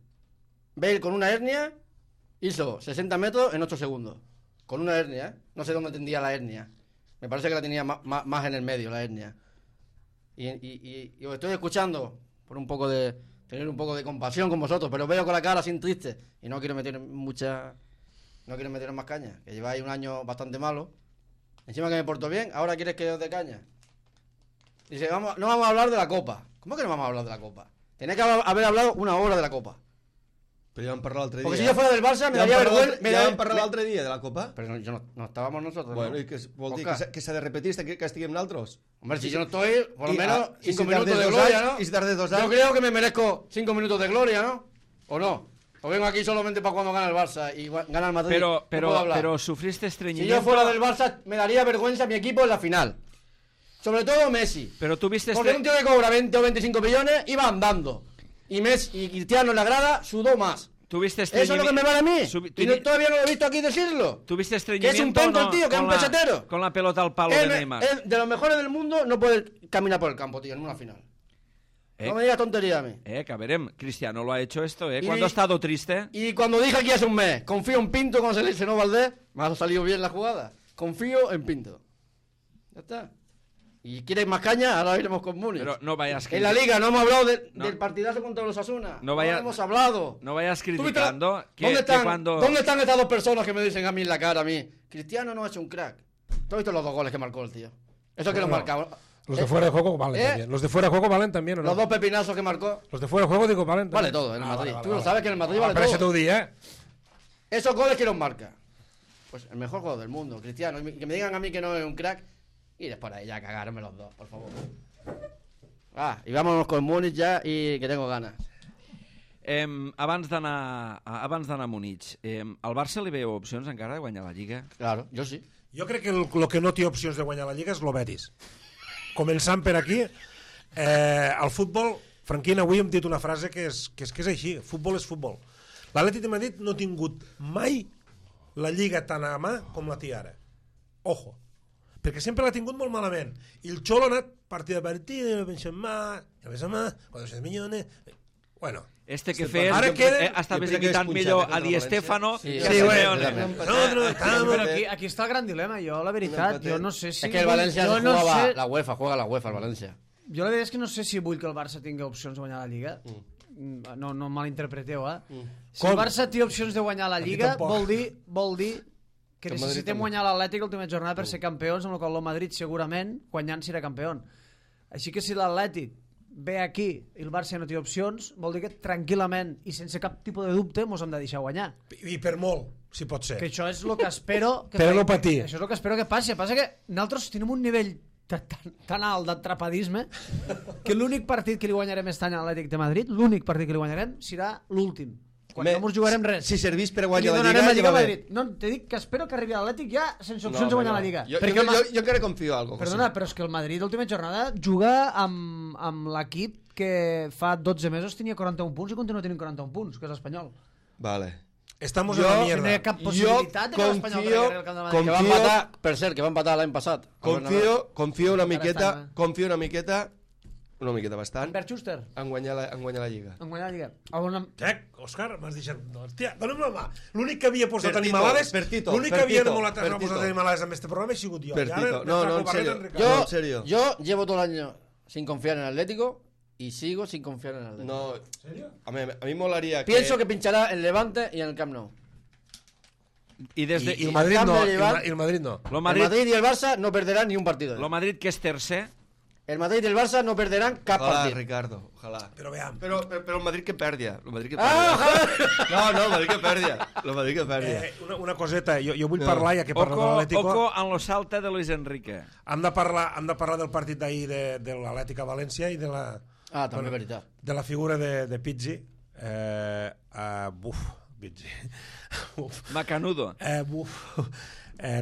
Bale con una hernia hizo 60 metros en 8 segundos. Con una hernia, No sé dónde tendría la hernia. Me parece que la tenía más en el medio, la hernia. Y os estoy escuchando por tener un poco de compasión con vosotros, pero veo con la cara así triste y no quiero meter mucha no quieren meteros más caña, que lleváis un año bastante malo. Encima que me porto bien, ahora quieres que os dé caña. Dice, no vamos a hablar de la Copa. ¿Cómo que no vamos a hablar de la Copa? Tenéis que haber hablado una hora de la Copa. Però ja vam parlar l'altre dia. Porque si yo fuera del Barça me daría vergüenza. Ja vam parlar l'altre dia de la Copa. Pero no estábamos nosotros. Bueno, ¿no? i què vol dir? Oscar. Que s'ha de repetir que estiguem nosaltres? Hombre, si yo no estoy, por lo menos y 5 si minutos tardes de 2 gloria, años, ¿no? y si tardes 2 Yo años. creo que me merezco 5 minutos de gloria, ¿no? ¿O no? O vengo aquí solamente para cuando gana el Barça y gana el Madrid. ¿Qué puedo hablar? Pero sufriste Si estreñimiento. yo fuera del Barça, me daría vergüenza a mi equipo en la final. Sobre todo Messi. Pero tuviste Porque un tío que cobra 20 o 25 millones iba andando. Y Messi y Cristiano en la grada sudó más. Tuviste Eso es lo que me vale a mí. Y todavía no lo he visto aquí decirlo. Tuviste Que estreñimiento. es un penco el no, tío, que es un con la- pesetero. Con la pelota al palo de Neymar. De los mejores del mundo no puede caminar por el campo, tío, en una final. No me digas tontería a mí. Que veremos. Cristiano lo ha hecho esto, Y- Cuando ha estado triste. Y cuando dije aquí hace un mes, confío en Pinto cuando se lesionó Valdés, me ha salido bien la jugada. Confío en Pinto. Ya está. Y quieres más caña, ahora iremos con Múnich. Pero no vayas En la Liga no hemos hablado No. del partidazo contra los Osasuna. No vaya- hemos hablado. No vayas ¿Tú viste criticando que, ¿Dónde, están, que cuando... ¿Dónde están estas dos personas que me dicen a mí en la cara, a mí? Cristiano no ha hecho un crack. ¿Tú has visto los 2 goles que marcó el tío? Eso que No, los no. marcaba. Los de fuera de juego valen ¿Eh? también. Los de fuera de juego valen también, ¿o no? Los 2 pepinazos que marcó. Los de fuera de juego, digo, valen Vale también. todo en el Madrid. Vale, Tú vale, lo sabes que en el Madrid vale pero todo. ese tu día, Esos goles que los marca. Pues el mejor jugador del mundo, Cristiano. Y que me digan a mí que no es un crack. Y después ahí ya a cagarme los dos, por favor. Y vámonos con Múnich ya y que tengo ganas. Abans d'anar a Múnich, al Barça li veieu opcions encara de guanyar la Lliga? Claro, yo sí. Jo crec que el que no té opcions de guanyar la Lliga és l'Obetis. Començant per aquí, al futbol, Franquín, avui hem dit una frase que és així, futbol és futbol. L'Atlètic de Madrid no ha tingut mai la Lliga tan a mà com la té ara. Ojo, perquè sempre l'ha tingut molt malament. I el Xolo ha anat partida a partida, Benzema, 400 milions... Bueno, Que fes, Ara queda- estaves jo crec que imitant és millor punxat, a Di Stéfano Sí, que sí, a sí, Simeone. totalment. nosotros estamos... Pero aquí está el gran dilema. Yo, la verdad, yo no sé si... Es que el Valencia yo se no jugaba sé, la UEFA, juega la UEFA el Valencia. Jo la veritat és que no sé si vull que el Barça tingui opcions de guanyar la Lliga. No em malinterpreteu, Si Com? el Barça té opcions de guanyar la Aquí Lliga, tampoc. vol dir que Que el Madrid necessitem també. guanyar l'Atlètic l'última jornada per ser campions, amb la qual el Madrid segurament guanyant serà campió. Així que si l'Atlètic ve aquí i el Barça no té opcions, vol dir que tranquil·lament i sense cap tipus de dubte mos hem de deixar guanyar. I per molt, si pot ser. Que això és el que espero que Però no patir. Això és el que espero que passi. Passa que nosaltres tenim un nivell tan alt d'atrapadisme que l'únic partit que li guanyarem aquest any a l'Atlètic de Madrid, l'únic partit que li guanyarem serà l'últim. Quan no ens jugarem res. Si servís per I li guanyar la donarem Lliga, la Lliga ja a va bé. Madrid. No, te dic que espero que arribi a l'Atlètic ja sense opcions de guanyar la Lliga. Jo encara confio en algo. Perdona, però és que el Madrid l'última jornada juga amb l'equip que fa 12 mesos tenia 41 punts i continua tenint 41 punts, que és l'Espanyol. Vale. Estamos Jo- en la No hi mierda. ha cap possibilitat de que l'Espanyol confio- regali el camp de Madrid. Que va a empatar, per cert, que va a empatar l'any passat. Confio una Encara miqueta, una miqueta bastant, Bert Schuster, en guanyar la Lliga. en guanyar la Lliga. Una... Òscar, m'has deixat... Hòstia, dona'm la mà. L'únic que havia posat Per Tito, animalades... per Tito, L'únic per que havia Tito, demolat per a posar Tito. animalades en este programa he sigut jo. Per I ara Tito. me No, trago en barret serio. en Ricardo. No, en serio. Yo llevo todo el año sin confiar en el Atlético y sigo sin confiar en el Atlético. No, ¿En serio? a mí molaría Pienso que pinchará en Levante y en el Camp Nou. I des de... I el Madrid no. Cambio de llevar- I el Madrid no. Lo El Madrid, Madrid y el Barça no perderán ni un partido. lo Madrid que és tercer, El Madrid y el Barça no perderán cap Ojalá, partit. Ricardo, ojalá. Però veam. Pero el Madrid que perdia. El Madrid que Ah, perdia. No, el Madrid que perdia. El Madrid que perdia. Una coseta, jo vull No. parlar, ja que parlo de l'Atlético, oco en lo salta de Luis Enrique. hem de parlar del partit d'ahir de l'Atlètic a València i de la... Ah, també veritat. De la figura de Pizzi. Pizzi. Macanudo.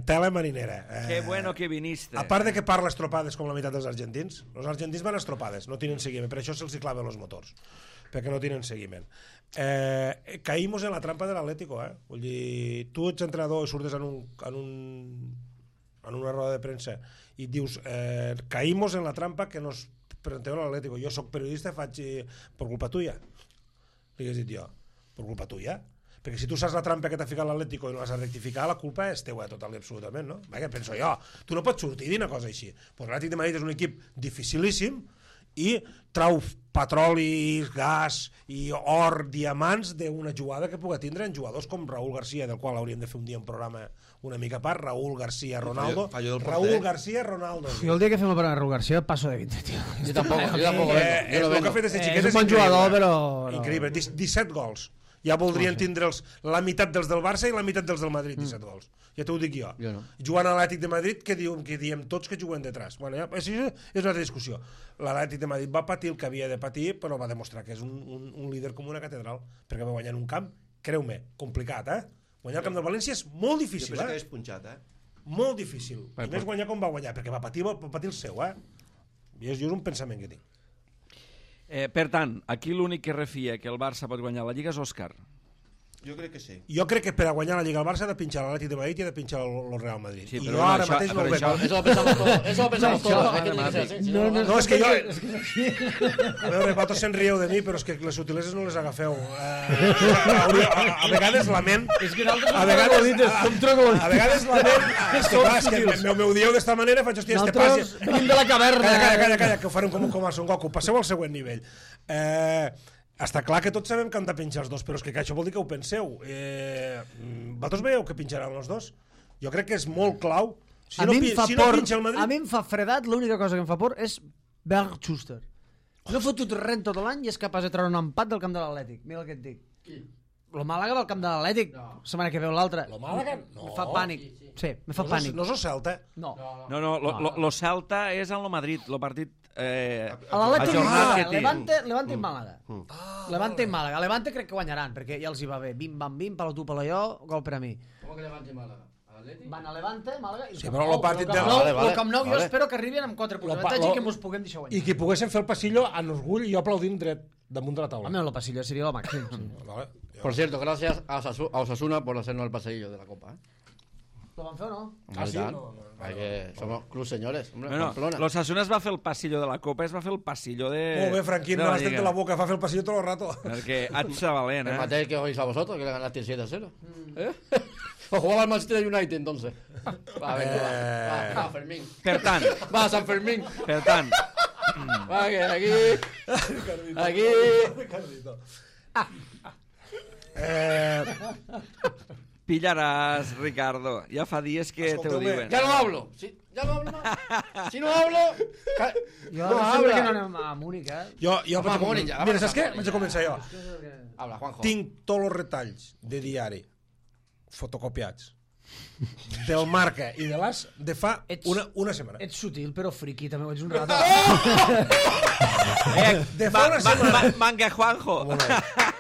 Tela marinera. Qué bueno que viniste. A part de que parla estropades com la meitat dels argentins, els argentins van estropades, no tenen seguiment, per això se'ls claven els motors, perquè no tenen seguiment. Caímos en la trampa de l'Atlético, vull dir, tu ets entrenador i surtes en una roda de premsa i et dius, caímos en la trampa que nos presenteu a l'Atlético, jo sóc periodista i faig per culpa tuya, li hagués dit jo, per culpa tuya? Perquè si tu saps la trampa que t'ha ficat l'Atlético i no l'has a rectificar, la culpa és teua total i absolutament, no? Vaja, penso jo. Tu no pots sortir i dir una cosa així. Pues l'Atlètic de Madrid és un equip dificilíssim i trau petroli, gas i or, diamants d'una jugada que pugui tindre en jugadors com Raúl García, del qual hauríem de fer un dia un programa una mica a part, Raúl García Ronaldo. Raúl García Ronaldo. Jo el dia que fem el programa de Raúl García passo de 20, tio. Jo tampoc El que ha fet este xiquet és un bon jugador, però... Increïble, 17 gols. Ja voldrien tindre la meitat dels del Barça i la meitat dels del Madrid, 17 gols. Ja t'ho dic jo. Jo no. Jugant a l'Atlètic de Madrid, que diem tots que juguen detrás. Bueno, ja, això és una altra discussió. L'Atlètic de Madrid va patir el que havia de patir, però va demostrar que és un líder com una catedral, perquè va guanyar en un camp, creu-me, complicat, Guanyar el camp del València és molt difícil, Jo penso que és punxat, Molt difícil. I més guanyar com va guanyar, perquè va patir el seu, I és un pensament que tinc. Per tant, aquí l'únic que refia que el Barça pot guanyar la Lliga és Òscar. Jo crec que sí. Jo crec que per a guanyar la Lliga al Barça ha de pinxar l'Atlètic de Madrid i ha de pinxar el Real Madrid. Sí, I però jo ara això- mateix no ho però veig. això- Eso lo pensamos todos. Es que tiene que ser así. Si no, No, és que jo... A veure, vosaltres se'n rieu de mi, però és que les sutileses no les agafeu. A vegades la ment... És que nosaltres A vegades som a vegades la ment... És que m'ho dieu d'esta manera, faig, hòstia, este passi... Nosaltres venim de la caverna. Calla, que ho farem com a Son Goku. Passeu al següent nivell. Està clar que tots sabem que han de pinxar els dos, però és que això vol dir que ho penseu. Vosaltres veieu que pinxaran els dos? Jo crec que és molt clau. Si no pinxa el Madrid... A mi em fa fredat, l'única cosa que em fa por és Berg Schuster. No ha fotut res tot l'any i és capaç de treure un empat del camp de l'Atlètic. Mira el que et dic. Lo Màlaga del camp de l'Atlètic, setmana que veu l'altra. Lo Màlaga? No. Me fa pànic. Sí, me fa pànic. No és el Celta. No. No, lo Celta és en lo Madrid, lo partit... A l'Atlètic ajornat que té. Levante i Màlaga. Levante i Màlaga. Levante crec que guanyaran, perquè ja els hi va bé. Bim, bam, bim, palo tu, palo jo, gol per a mi. ¿Cómo que Levante y Málaga? ¿Atleti? Van a Levante, Màlaga i Sí, però el partit de... El Camp Nou jo espero que arribin amb 4 punts d'avantatge i que mos puguem deixar I guanyar. que poguessin fer el passillo en orgull i jo aplaudint dret damunt de la taula. Home, el passillo seria el màxim. Sí. Vale. Por cierto, gracias a Osasuna por hacernos el paseillo de la Copa. Lo van fer o no? Hombre, sí? tal. No. Hay que... Somos club señores. Hombre, Bueno, Pamplona. l'Osasuna es va fer el passillo de la Copa, es va fer el passillo de... Molt bé, Franquín, me l'has tret de la boca, fa fer el passillo tot el rato. Perquè haig de valent, El Mateo que oís a vosotros, que le ganaste 7-0. ¿Eh? O jugaba al Manchester United, entonces. Va, venga, va, Fermín. Per tant, Va, San Fermín. per tant, Va, que aquí... pillaràs, Ricardo. Ja fa dies que te ho Escolteu-me, diuen. Ya no hablo. Ya no hablo más. Si no hablo... Jo No, no, habla. que no anem a Múnich, Jo Home, vaig a Múnich, ja, Mira, va, saps què? Múnich. Vaig a començar jo. Habla, Juanjo. Tinc tots els retalls de diari fotocopiats del Marca i de l'As de fa una setmana. Ets sutil, però friqui, també ho ets un rato. De fa una setmana. Manga Juanjo.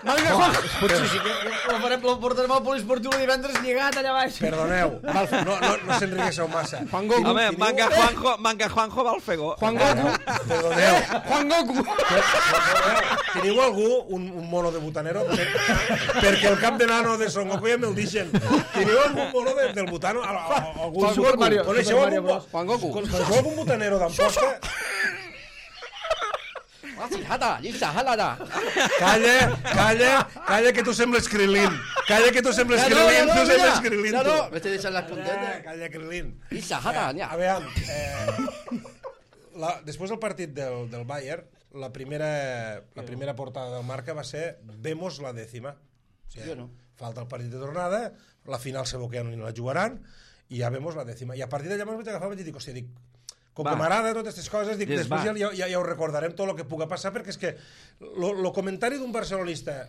Manga, Juan! Potser sí que lo portarem al poliesportiu el divendres lligat allà baix. Perdoneu, no s'enriqueixeu massa. Juan Goku. Home, Manga Juanjo va al Fegó. Juan Goku. Perdoneu. Juan Goku. Teniu algú un mono de butanero? Perquè el cap de nano de Son Goku ja me'l deixen. Teniu algun mono del butano? Algun Super Mario, Coneixeu Super Mario algun, Bros. Juan Goku. coneixeu algun butanero d'Amposta? Calla, que tu sembles Krilin. Calla, que tu sembles Krilin. Tu sembles Krilin, Ya tu. no. Me estoy diciendo las puntetes. Calla, Krilin. Ya. A veure, després del partit del Bayern, la primera portada del Marca va ser Vemos la décima. O sigui, Jo no. falta el partit de tornada, la final segur que ja no la jugaran, i ja Vemos la décima. I a partir d'allà me'ls vaig agafar i vaig dir, hòstia, com que m'agrada totes aquestes coses, dic, després ja ho recordarem tot el que puga passar, perquè és que el comentari d'un barcelonista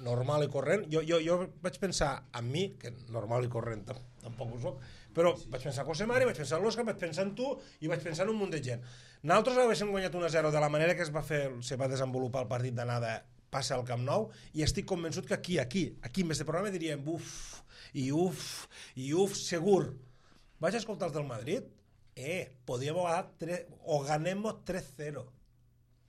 normal i corrent, jo vaig pensar en mi, que normal i corrent tampoc ho soc, però vaig pensar en José Mari, vaig pensar en l'Òscar, vaig pensar en tu i vaig pensar en un munt de gent. Nosaltres haguéssim guanyat 1-0 de la manera que se va desenvolupar el partit d'anada passa al Camp Nou, i estic convençut que aquí, en este programa diríem uf, segur. Vaig escoltar els del Madrid, podíem o ganemos 3-0.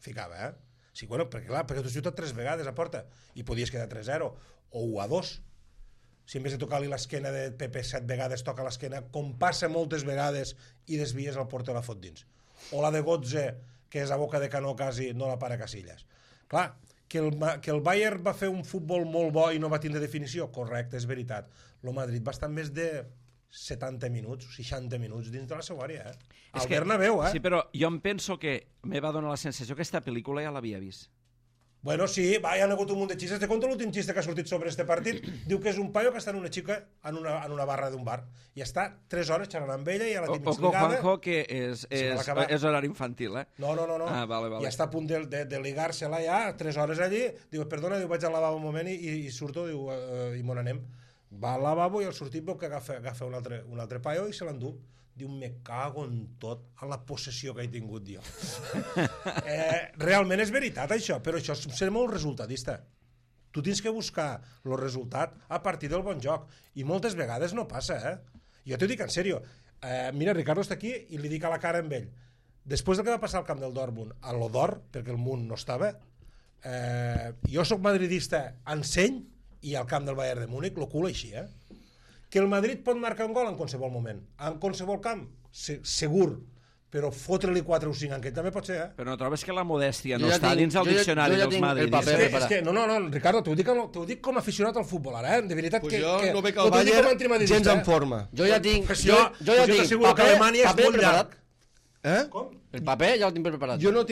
Ficava, Sí, bueno, perquè tu has xutat 3 vegades a porta i podies quedar 3-0 o 1-2. Si en vez de tocar-li l'esquena de Pepe 7 vegades toca l'esquena, com passa moltes vegades, i desvies el porter la fot dins. O la de Götze, que és a boca de canó quasi, no la para Casillas. Clar, que el Bayern va fer un futbol molt bo i no va tindre definició, correcte, és veritat. El Madrid va estar més de 70 minuts, 60 minuts dins de la seva àrea, És Al que- Bernabéu, Sí, però jo em penso que me va donar la sensació que aquesta pel·lícula ja l'havia vist. Bueno, sí, va, hi ha hagut un munt de xistes. Te conto l'últim xiste que ha sortit sobre este partit. Diu que és un paio que està en una xica en una barra d'un bar i està 3 hores xerrant amb ella i a la té mig Ojo, ligada. Juanjo, que és Se va acabar. horari infantil, eh? No. Ah, vale. I està a punt de ligar-se-la ja, 3 hores allí. Diu, perdona, diu, vaig al lavabo un moment i surto, diu, i me n'anem. Va al lavabo i al sortir veu que agafa un altre paio i se l'endú. Diu, me cago en tot, a la possessió que he tingut jo. Realment és veritat això, però això és molt resultadista. Tu tens que buscar el resultat a partir del bon joc, i moltes vegades no passa, Jo t'ho dic en sèrio. Mira, Ricardo està aquí i li dic a la cara amb ell. Després del que va passar al camp del Dortmund, a l'Odor, perquè el Munt no estava, jo sóc madridista en seny i al camp del Bayern de Múnich, lo cul així, Que el Madrid pot marcar un gol en qualsevol moment, en qualsevol camp, segur, però fotre-li 4 o 5 en aquell també pot ser, Però no trobes que la modèstia Jo no ja està tinc- dins el jo ja- diccionari jo ja dels tinc el madridistes? paper. És que, no, Ricardo, t'ho dic com a aficionat al futbol ara, de veritat Pues que... jo no veig no el t'ho dic com a Bayern antimadridista, gens en forma. Jo ja tinc... Pues jo ja tinc t'asseguro que Alemanya és paper molt preparat. llarg. Eh? El paper ja el tinc preparat. Jo no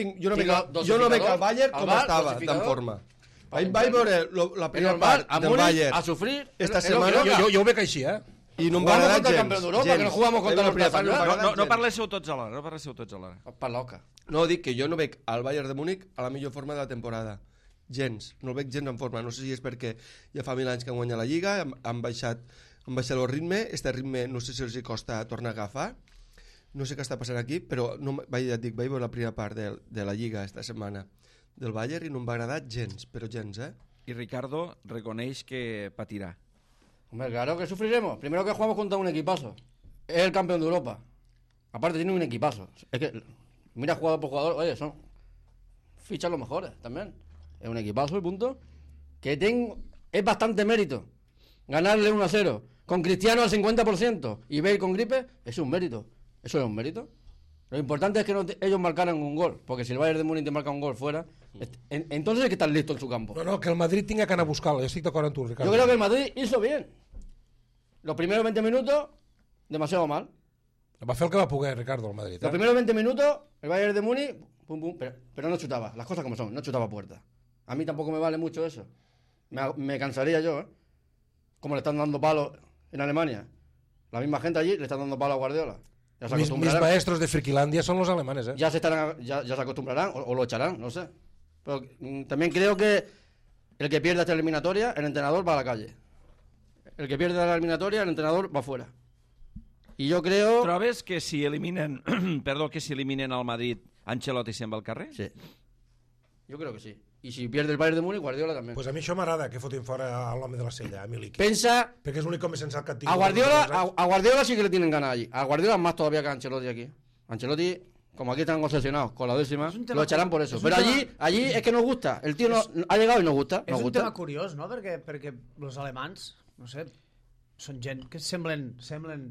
veig el Bayern com estava, d'en forma. Vaig veure la primera part del Bayern a sufrir esta setmana Jo ho veig així, i no em va Jugamos agradar contra el gens. campeón de Europa, que no jugamos contra los Piazza. No parléssiu tots alhora, Per loca. No, dic que jo no veig al Bayern de Múnich a la millor forma de la temporada. Gens, no el veig gens en forma. No sé si és perquè ja fa 1000 anys que han guanyat la Lliga, han baixat el ritme, este ritme no sé si els hi costa tornar a agafar, no sé què està passant aquí, però vaig veure la primera part de la Lliga esta setmana del Bayern i no em va agradar gens, però gens, I Ricardo reconeix que patirà. Hombre, claro que sufriremos. Primero que jugamos contra un equipazo. Es el campeón de Europa. Aparte tiene un equipazo. Es que, mira jugador por jugador, oye, son fichas los mejores también. Es un equipazo y punto. Es bastante mérito. Ganarle 1-0 con Cristiano al 50% y Bale con gripe, es un mérito. Eso es un mérito. Lo importante es que ellos marcaran un gol, porque si el Bayern de Múnich te marca un gol fuera, entonces hay que estar listo en su campo. No, que el Madrid tinga que anar a buscar-lo. Jo estic d'acord amb tu, Ricardo. Yo creo que el Madrid hizo bien. Los primeros 20 minutos, demasiado mal. Va fer el que va poder, Ricardo, el Madrid. Los primeros 20 minutos, el Bayern de Múnich, pum, pum, pero no chutaba. Las cosas como son, no chutaba puerta. A mí tampoco me vale mucho eso. Me cansaría yo, Como le están dando palos en Alemania. La misma gente allí le están dando palos a Guardiola. Ya se Mis acostumbrarán. maestros de Friquilandia son los alemanes, Ya se acostumbrarán o lo echarán, no sé. Pero también creo que el que pierda esta eliminatoria, el entrenador va a la calle. El que pierde la eliminatoria, el entrenador va fuera. Y yo creo... Trobes que si eliminen al Madrid, Ancelotti se'n va al carrer? Sí. Yo creo que sí. Y si pierde el Bayern de Múnich, Guardiola también. Pues a mi això m'agrada que fotin fora a l'home de la sella, a Miliki. Pensa... Perquè és l'únic home sensat que ha tingut. A Guardiola sí que le tienen ganas allí. A Guardiola más todavía que a Ancelotti aquí. Ancelotti, como aquí están obsesionados con la décima, lo echarán por eso. Pero allí es que nos gusta. El tío ha llegado y nos gusta. És un tema curiós, no? Perquè els alemans, no sé, són gent que semblen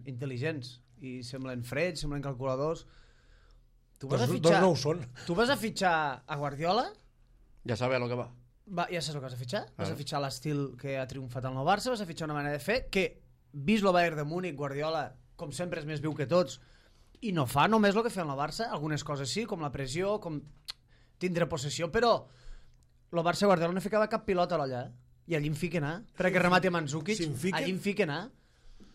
intel·ligents i semblen freds, semblen calculadors. Tu vas a fitxar... no ho són. Tu vas a fitxar a Guardiola... Ja sabe a lo que va. Ja saps el que vas a fitxar? Vas a fitxar l'estil que ha triomfat al nou Barça, vas a fitxar una manera de fer que, vist el Bayern de Múnich, Guardiola, com sempre, és més viu que tots, i no fa només el que fa el nou Barça, algunes coses sí, com la pressió, com tindre possessió, però el Barça Guardiola no ficava cap pilota allà, i allí em fica anar, perquè remati a Mandzukic, allí em fica anar.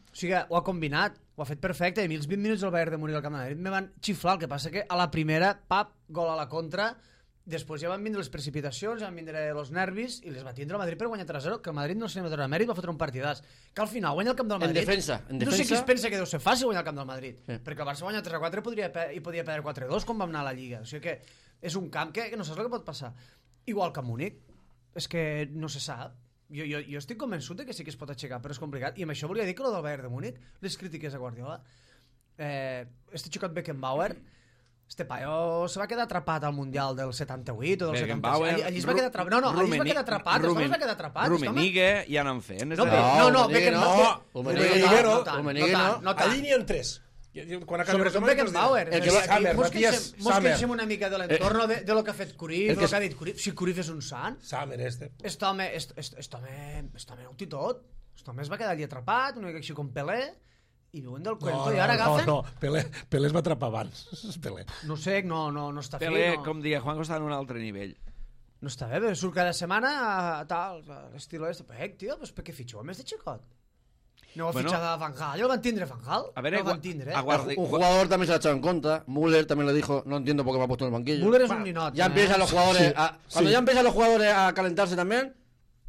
O sigui, ho ha combinat, ho ha fet perfecte, i a mi els 20 minuts del Bayern de Múnich al Camp de Madrid me van xiflar, el que passa que a la primera, pap, gol a la contra. Després ja van vindre les precipitacions, ja van vindre els nervis i les va tindre el Madrid per guanyar 3-0, que el Madrid no se li va donar mèrit, va fotre un partidàs. Que al final guanya el camp del Madrid. En defensa. No sé qui es pensa que deu ser fàcil guanyar el camp del Madrid, perquè el Barça guanya 3-4 i podia perdre 4-2 com vam anar a la Lliga. O sigui que és un camp que no saps el que pot passar. Igual que a Múnich. És que no se sap. Jo estic convençut que sí que es pot aixecar, però és complicat. I amb això volia dir que el del Bayern de Múnich, les crítiques a Guardiola, este xicot Beckenbauer, este paio se va quedar atrapat al Mundial del 78 o del 76. Allí es va quedar atrapat. No, allí es va quedar atrapat. Es va quedar atrapat. Rummenigge ja n'han fet. No, Rummenigge no. Allí n'hi ha 3. Sobretot Beckenbauer. Mos queixem una mica de l'entorn de lo que ha fet Cruyff, de lo que ha dit Cruyff. Si Cruyff és un sant, este home ho té tot. Este home es va quedar allí atrapat, una mica així com Pelé, i viuen del cuento i ara agafen... No, Pelé es va atrapar abans. Pelé. No sé, no està Pelé, fi. No. com deia Juanjo, està en un altre nivell. No està bé, però surt cada setmana tal, l'estil este. Tio, pues per què fitxeu a més de xicot? No va fitxar a Van Gaal, ja el van tindre Van Gaal. A ver, no el van tindre, Un jugador también se ha echado en contra. Müller también le dijo, no entiendo por qué me ha puesto en el banquillo. Müller es un ninot. Ya empiezan los jugadores cuando ya empiezan los jugadores a calentarse también,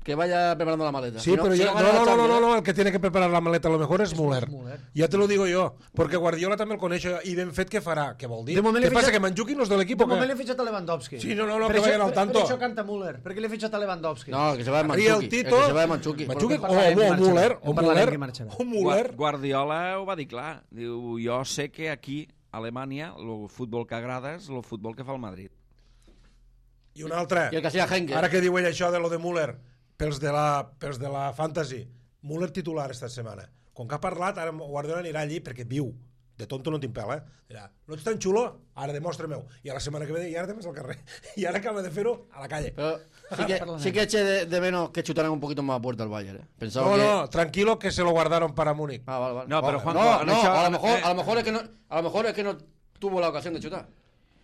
que vaya preparando la maleta. Sí, Si pero si yo, gana la Champions, no, el que tiene que preparar la maleta a lo mejor es Müller. Müller. Ya te lo digo yo, porque Guardiola també el coneixo i ben fet que farà, què vol dir? De moment Què li passa, fitxa- que Mandzukic no és de l'equip De o què? moment l'he fitxat a Lewandowski. Sí, no, Per que això- vayan al tanto. Per això canta Müller, perquè l'he fitxat a Lewandowski. No, que se va de Arriba el Mandzukic. Tito, El que se va de Mandzukic. Mandzukic Perquè parlarem que o marxarà. Müller, En parlarem que marxarà. o Müller. Guardiola ho va dir clar. Diu, jo sé que aquí, a Alemanya, el futbol que agrada és el futbol que fa el Madrid. I un altre. Y el que hacía Henke. Ara que diu ell això de lo de Müller, pels de la Fantasy, Müller titular esta setmana. Com que ha parlat, ara Guardiola anirà allí perquè viu. De tonto no tinc pèl, Dirà, no ets tan xulo? Ara demostra-m'ho. I a la setmana que ve, i ara te'n vas al carrer. I ara acaba de fer-ho a la calle. Pero sí que eche de menos que chutaran un poquito más a puerta al Bayern. Pensaba No, que... no, tranquilo que se lo guardaron para Múnich. Ah, vale. No, pero Juanjo, No, han no, hecho- a lo mejor es que no tuvo la ocasión de chutar.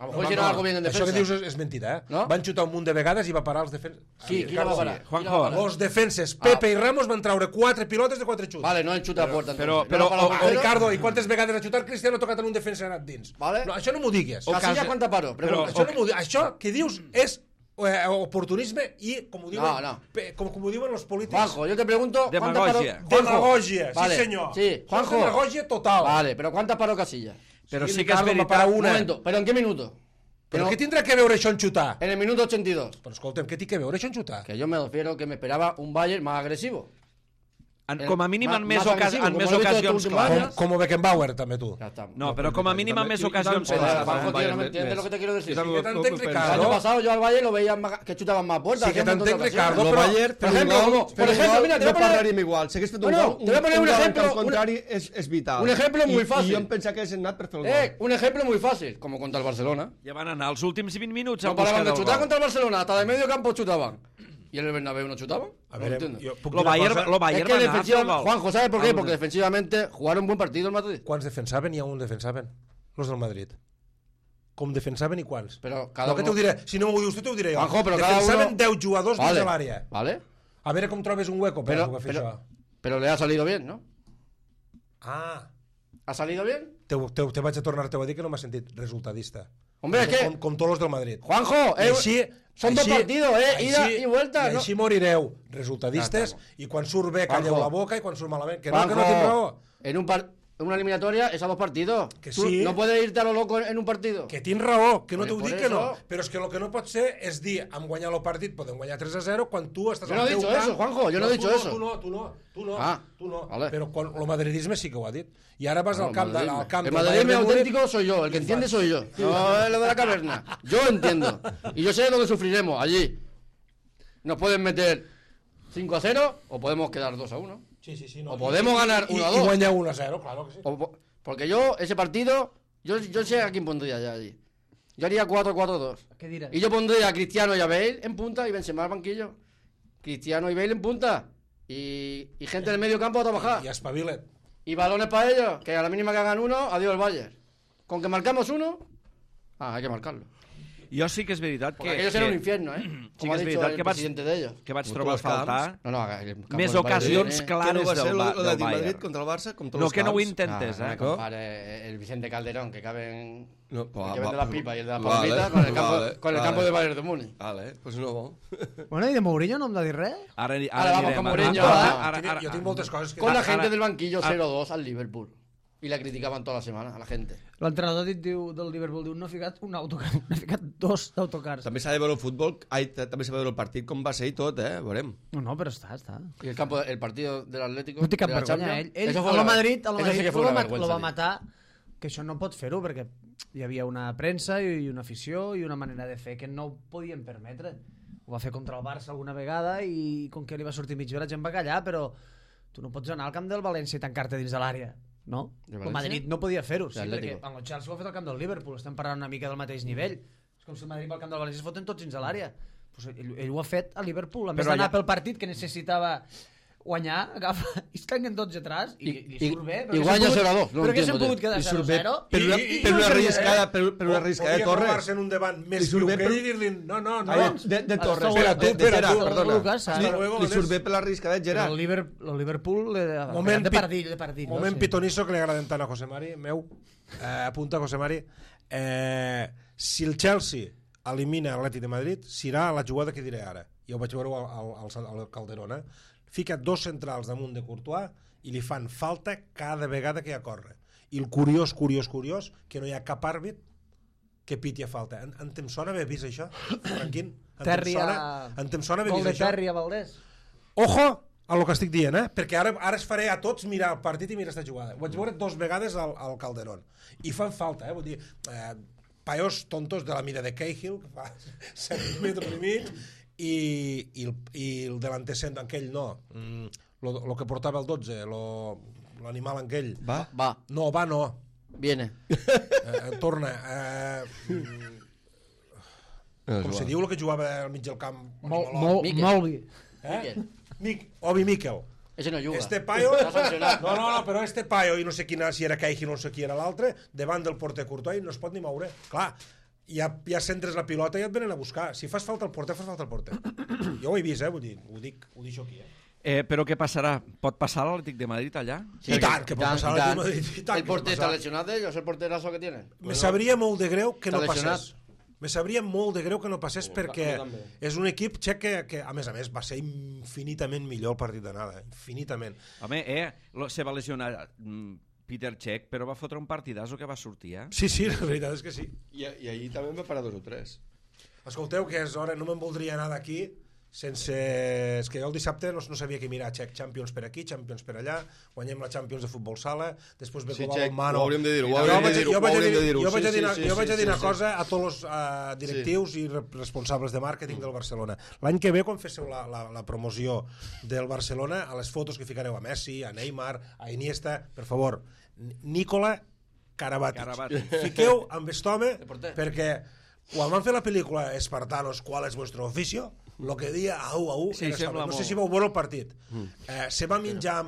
A lo mejor hicieron algo bien en Això defensa. que dius és mentida, No? Van xutar un munt de vegades i va parar els defenses. Sí, ¿quién la va a parar? Juanjo, ¿Quién la va a parar? Los defenses, Pepe i Ramos van traure 4 pilotes de 4 xuts. Vale, no el chuta a puerta. pero- entonces. No la para o- el O portero. Ricardo, i quantes vegades ha xutat Cristiano ha tocat en un defensa i ha anat dins? Vale. No, això no m'ho digues. Casilla, ¿cuánta paró? Però- Això, no m'ho digues. Això que dius és oportunisme i, com ho diuen, No. com ho diuen els polítics, Juanjo, yo te pregunto... ¿cuántas Demagogia. paró- Juanjo. demagogia, Vale, sí senyor. Sí, Juanjo. Demagogia total. Vale, pero ¿cuántas paró Casilla? però Sí, sí que és Ricardo va veritat... parar Un una. momento, ¿pero en qué minuto? Però No, què tindrà que veure això en xutar? en el minuto 82. Però escolta'm, què té que veure això en xutar? Que yo me refiero que me esperaba un Bayern más agresivo. Com a mínim en més, Más agresivo, en como més lo he visto ocasions estos últimos clares. años. Com Beckenbauer, també tu. Ya está. No, però com a mínim en més ocasions Joder, clares. Juanjo, tío, no me entiendes lo que te quiero decir. Sí que t'entenc, El Ricardo. año pasado yo al Bayern lo veía que chutaban más puertas. Sí que hacían un montón de t'entenc, ocasiones. Ricardo, Lo però- Bayern, por ejemplo, mira, te voy a no poner- parlaríem igual. Si hagués fet un Bueno, gol, te voy a poner un ejemplo, al contrari és vital. un ejemplo muy fácil. I jo em pensava que hagués anat per fer el gol. Un ejemplo muy fácil, como contra el Barcelona. Ja van anar els últims 20 minuts a No buscar paraban de del chutar gol. contra el Barcelona, hasta de medio campo chutaban. ¿Y en el Bernabéu no chutaban? A No veure, entiendo. jo puc Lo dir una Bayern, cosa? lo Es Bayern que va anar a fer el defensivamente, gol. Juanjo, ¿sabes por qué? Al- Porque defensivamente jugaron buen partido el Madrid. Quants defensaven? Hi ha un defensaven. Los del Madrid. Com defensaven i quants? Però cada no, que uno- t'ho diré. Si no m'ho dius tu, t'ho diré jo. Juanjo, però cada defensaven uno- 10 jugadors dins Vale, de l'àrea. vale. A veure com trobes un hueco per Pero, poder fer això. pero le ha salido bien, ¿no? Ah, ¿Ha salido bien? te vaig a tornar-te a dir que no m'ha sentit resultadista. Hombre, es que... Com tots los del Madrid. Juanjo, I així, son dos així- partidos, ida y vuelta. I ¿no? així morireu, resultadistes, i quan surt bé calleu Juanjo. la boca i quan surt malament, que no Juanjo, tinc raó. en una eliminatoria es a dos partidos. Que Tú sí. no puedes irte a lo loco en un partido. Que tinc raó, que no Por t'ho dic eso. que no. Però és que el que no pot ser és dir, hem guanyat el partit, podem guanyar 3-0, quan tu estàs Yo no al he teu dicho camp. eso, Juanjo, yo no he dicho eso. Tu no. Ah, tu no. vale. Però quan, el madridisme sí que ho ha dit. I ara vas al camp, al camp el del madridismo Bayern de Múnich. auténtico soy yo, el que entiende soy yo. No es lo de la caverna. Yo entiendo. Y yo sé dónde sufriremos, allí. Nos pueden meter 5-0 o podemos quedar 2-1. Sí, no. O podemos ganar I 1-2. guanyar 1-0, claro que sí. Porque yo, ese partido, yo sé a quién pondría ya allí. Yo haría 4-4-2. Què diràs? Y yo pondría a Cristiano y a Bale en punta y Benzema al banquillo. Cristiano y Bale en punta. Y gente del medio campo a trabajar. I espavila't. Y balones para ellos, que a la mínima que hagan uno, adiós el Bayern. Con que marcamos uno, hay que marcarlo. Jo sí que és veritat Porque que... aquello será un infierno, ¿eh? Sí Como que ha és dicho veritat el que vaig, presidente de ellos. que vaig Contra trobar a els camps. faltar No, el campo més del Bayern ocasions tiene- clares Que no va ser del lo de Madrid Bayern. contra el Barça, com tots No, els que no ho camps. intentes, No me eh? compare el Vicente Calderón, que cabe en... No, el que vende las pipas y el de las vale, palomitas con el campo, vale, con el vale. campo de Bayern de Múnich. Vale, pues no. Bueno, i de Mourinho no em de dir res? Ara Ara vamos con Mourinho, Jo tinc moltes coses que... Con la gente Ahora- del banquillo 0-2 al Liverpool. Y la criticaban toda la semana a la gente. L'entrenador del Liverpool diu no ha ficat un autocar, no ha ficat dos autocars. També s'ha de veure el futbol, també s'ha de veure el partit com va ser i tot, veurem. No, però està. Y el partido del Atlético. No té cap de la vergonya. Champions, Ell eso fue a lo una- Madrid, eso sí que fue lo una va vergüenza, tío. matar, que això no pot fer-ho, perquè hi havia una premsa i una afició i una manera de fer que no ho podien permetre. Ho va fer contra el Barça alguna vegada i com que li va sortir mig hora gent va callar, però tu no pots anar al camp del València i tancar-te dins de l'àrea. No? De El València? Madrid no podia fer-ho, sí, L'Atlético. perquè el Chelsea ho ha fet al camp del Liverpool, estem parlant una mica del mateix nivell. És com si el Madrid va al camp del València es foten tots dins de l'àrea. Pues ell ho ha fet a Liverpool, a més Però d'anar allà- pel partit que necessitava guanyar, agafa, i es tanquen tots atrás i surt bé. I guanya 0-2. Però què s'han pogut quedar 0-0? Per una arriscada de Torres. Podria en un davant més viu que ell i dir-li no. De Torres. De Gerard, perdona. Lucas, Li surt bé per l'arriscada de Gerard. El Liverpool Moment de partit. Moment pitonisso que li agraden tant a José Mari, meu. Apunta José Mari. Si el Chelsea elimina l'Atlètic de Madrid, serà la jugada que diré ara. Jo ho vaig veure al Calderón, fica 2 centrals damunt de Courtois i li fan falta cada vegada que hi ha corre. I el curiós, que no hi ha cap àrbit que piti a falta. Em sona haver vist això, Franquín? Em sona haver vist això? Terri a Valdés. Ojo a lo que estic dient, perquè ara es faré a tots mirar el partit i mirar aquesta jugada. Ho vaig veure 2 vegades al Calderón. I fan falta, vull dir, paios tontos de la mida de Cahill, que fa 7 metres i mig, i el delanter cent aquell lo que portava el 12 l'animal aquell Va. No. Viene. Torna com se diu el que jugava al mig del camp Molvi. Obi Mikel. Ese no juga. Este paio no, però este paio i no sé quina, si era Cahill, no sé qui era l'altre, davant del porter Courtois no es pot ni moure. Clar, ja centres la pilota i et venen a buscar. Si fas falta al porter, fas falta al porter. Jo ho he vist, vull dir, ho dic aquí. Però què passarà? Pot passar l'Atlètic de Madrid allà? Sí, I tant, que pot passar l'Atlètic de Madrid. El porter está lesionado de ellos, el porterazo que tienen. Me sabria molt de greu que no Està passés. Me sabria molt de greu que no passés perquè és un equip txec que a més, va ser infinitament millor el partit d'anada. Infinitament. Home, se va lesionar Peter Cech, però va fotre un partidazo que va sortir, Sí, la veritat és que sí. I ahir també va parar 2 o 3. Escolteu, que és hora, no me'n voldria anar d'aquí sense... És que jo el dissabte no sabia què mirar. Champions per aquí, Champions per allà, guanyem la Champions de futbol sala, després ve Copa Balmano... Ho hauríem de dir-ho, Jo vaig a dir una cosa a tots els directius i responsables de màrqueting del Barcelona. L'any que ve, quan féssiu la promoció del Barcelona, a les fotos que ficareu a Messi, a Neymar, a Iniesta, per favor, Nicola Karabatic. Fiqueu amb aquest home perquè quan van fer la pel·lícula Espartanos, ¿cuál es vuestro oficio? Lo que dia au, sí, no sé si vau veure el partit. Se va menjar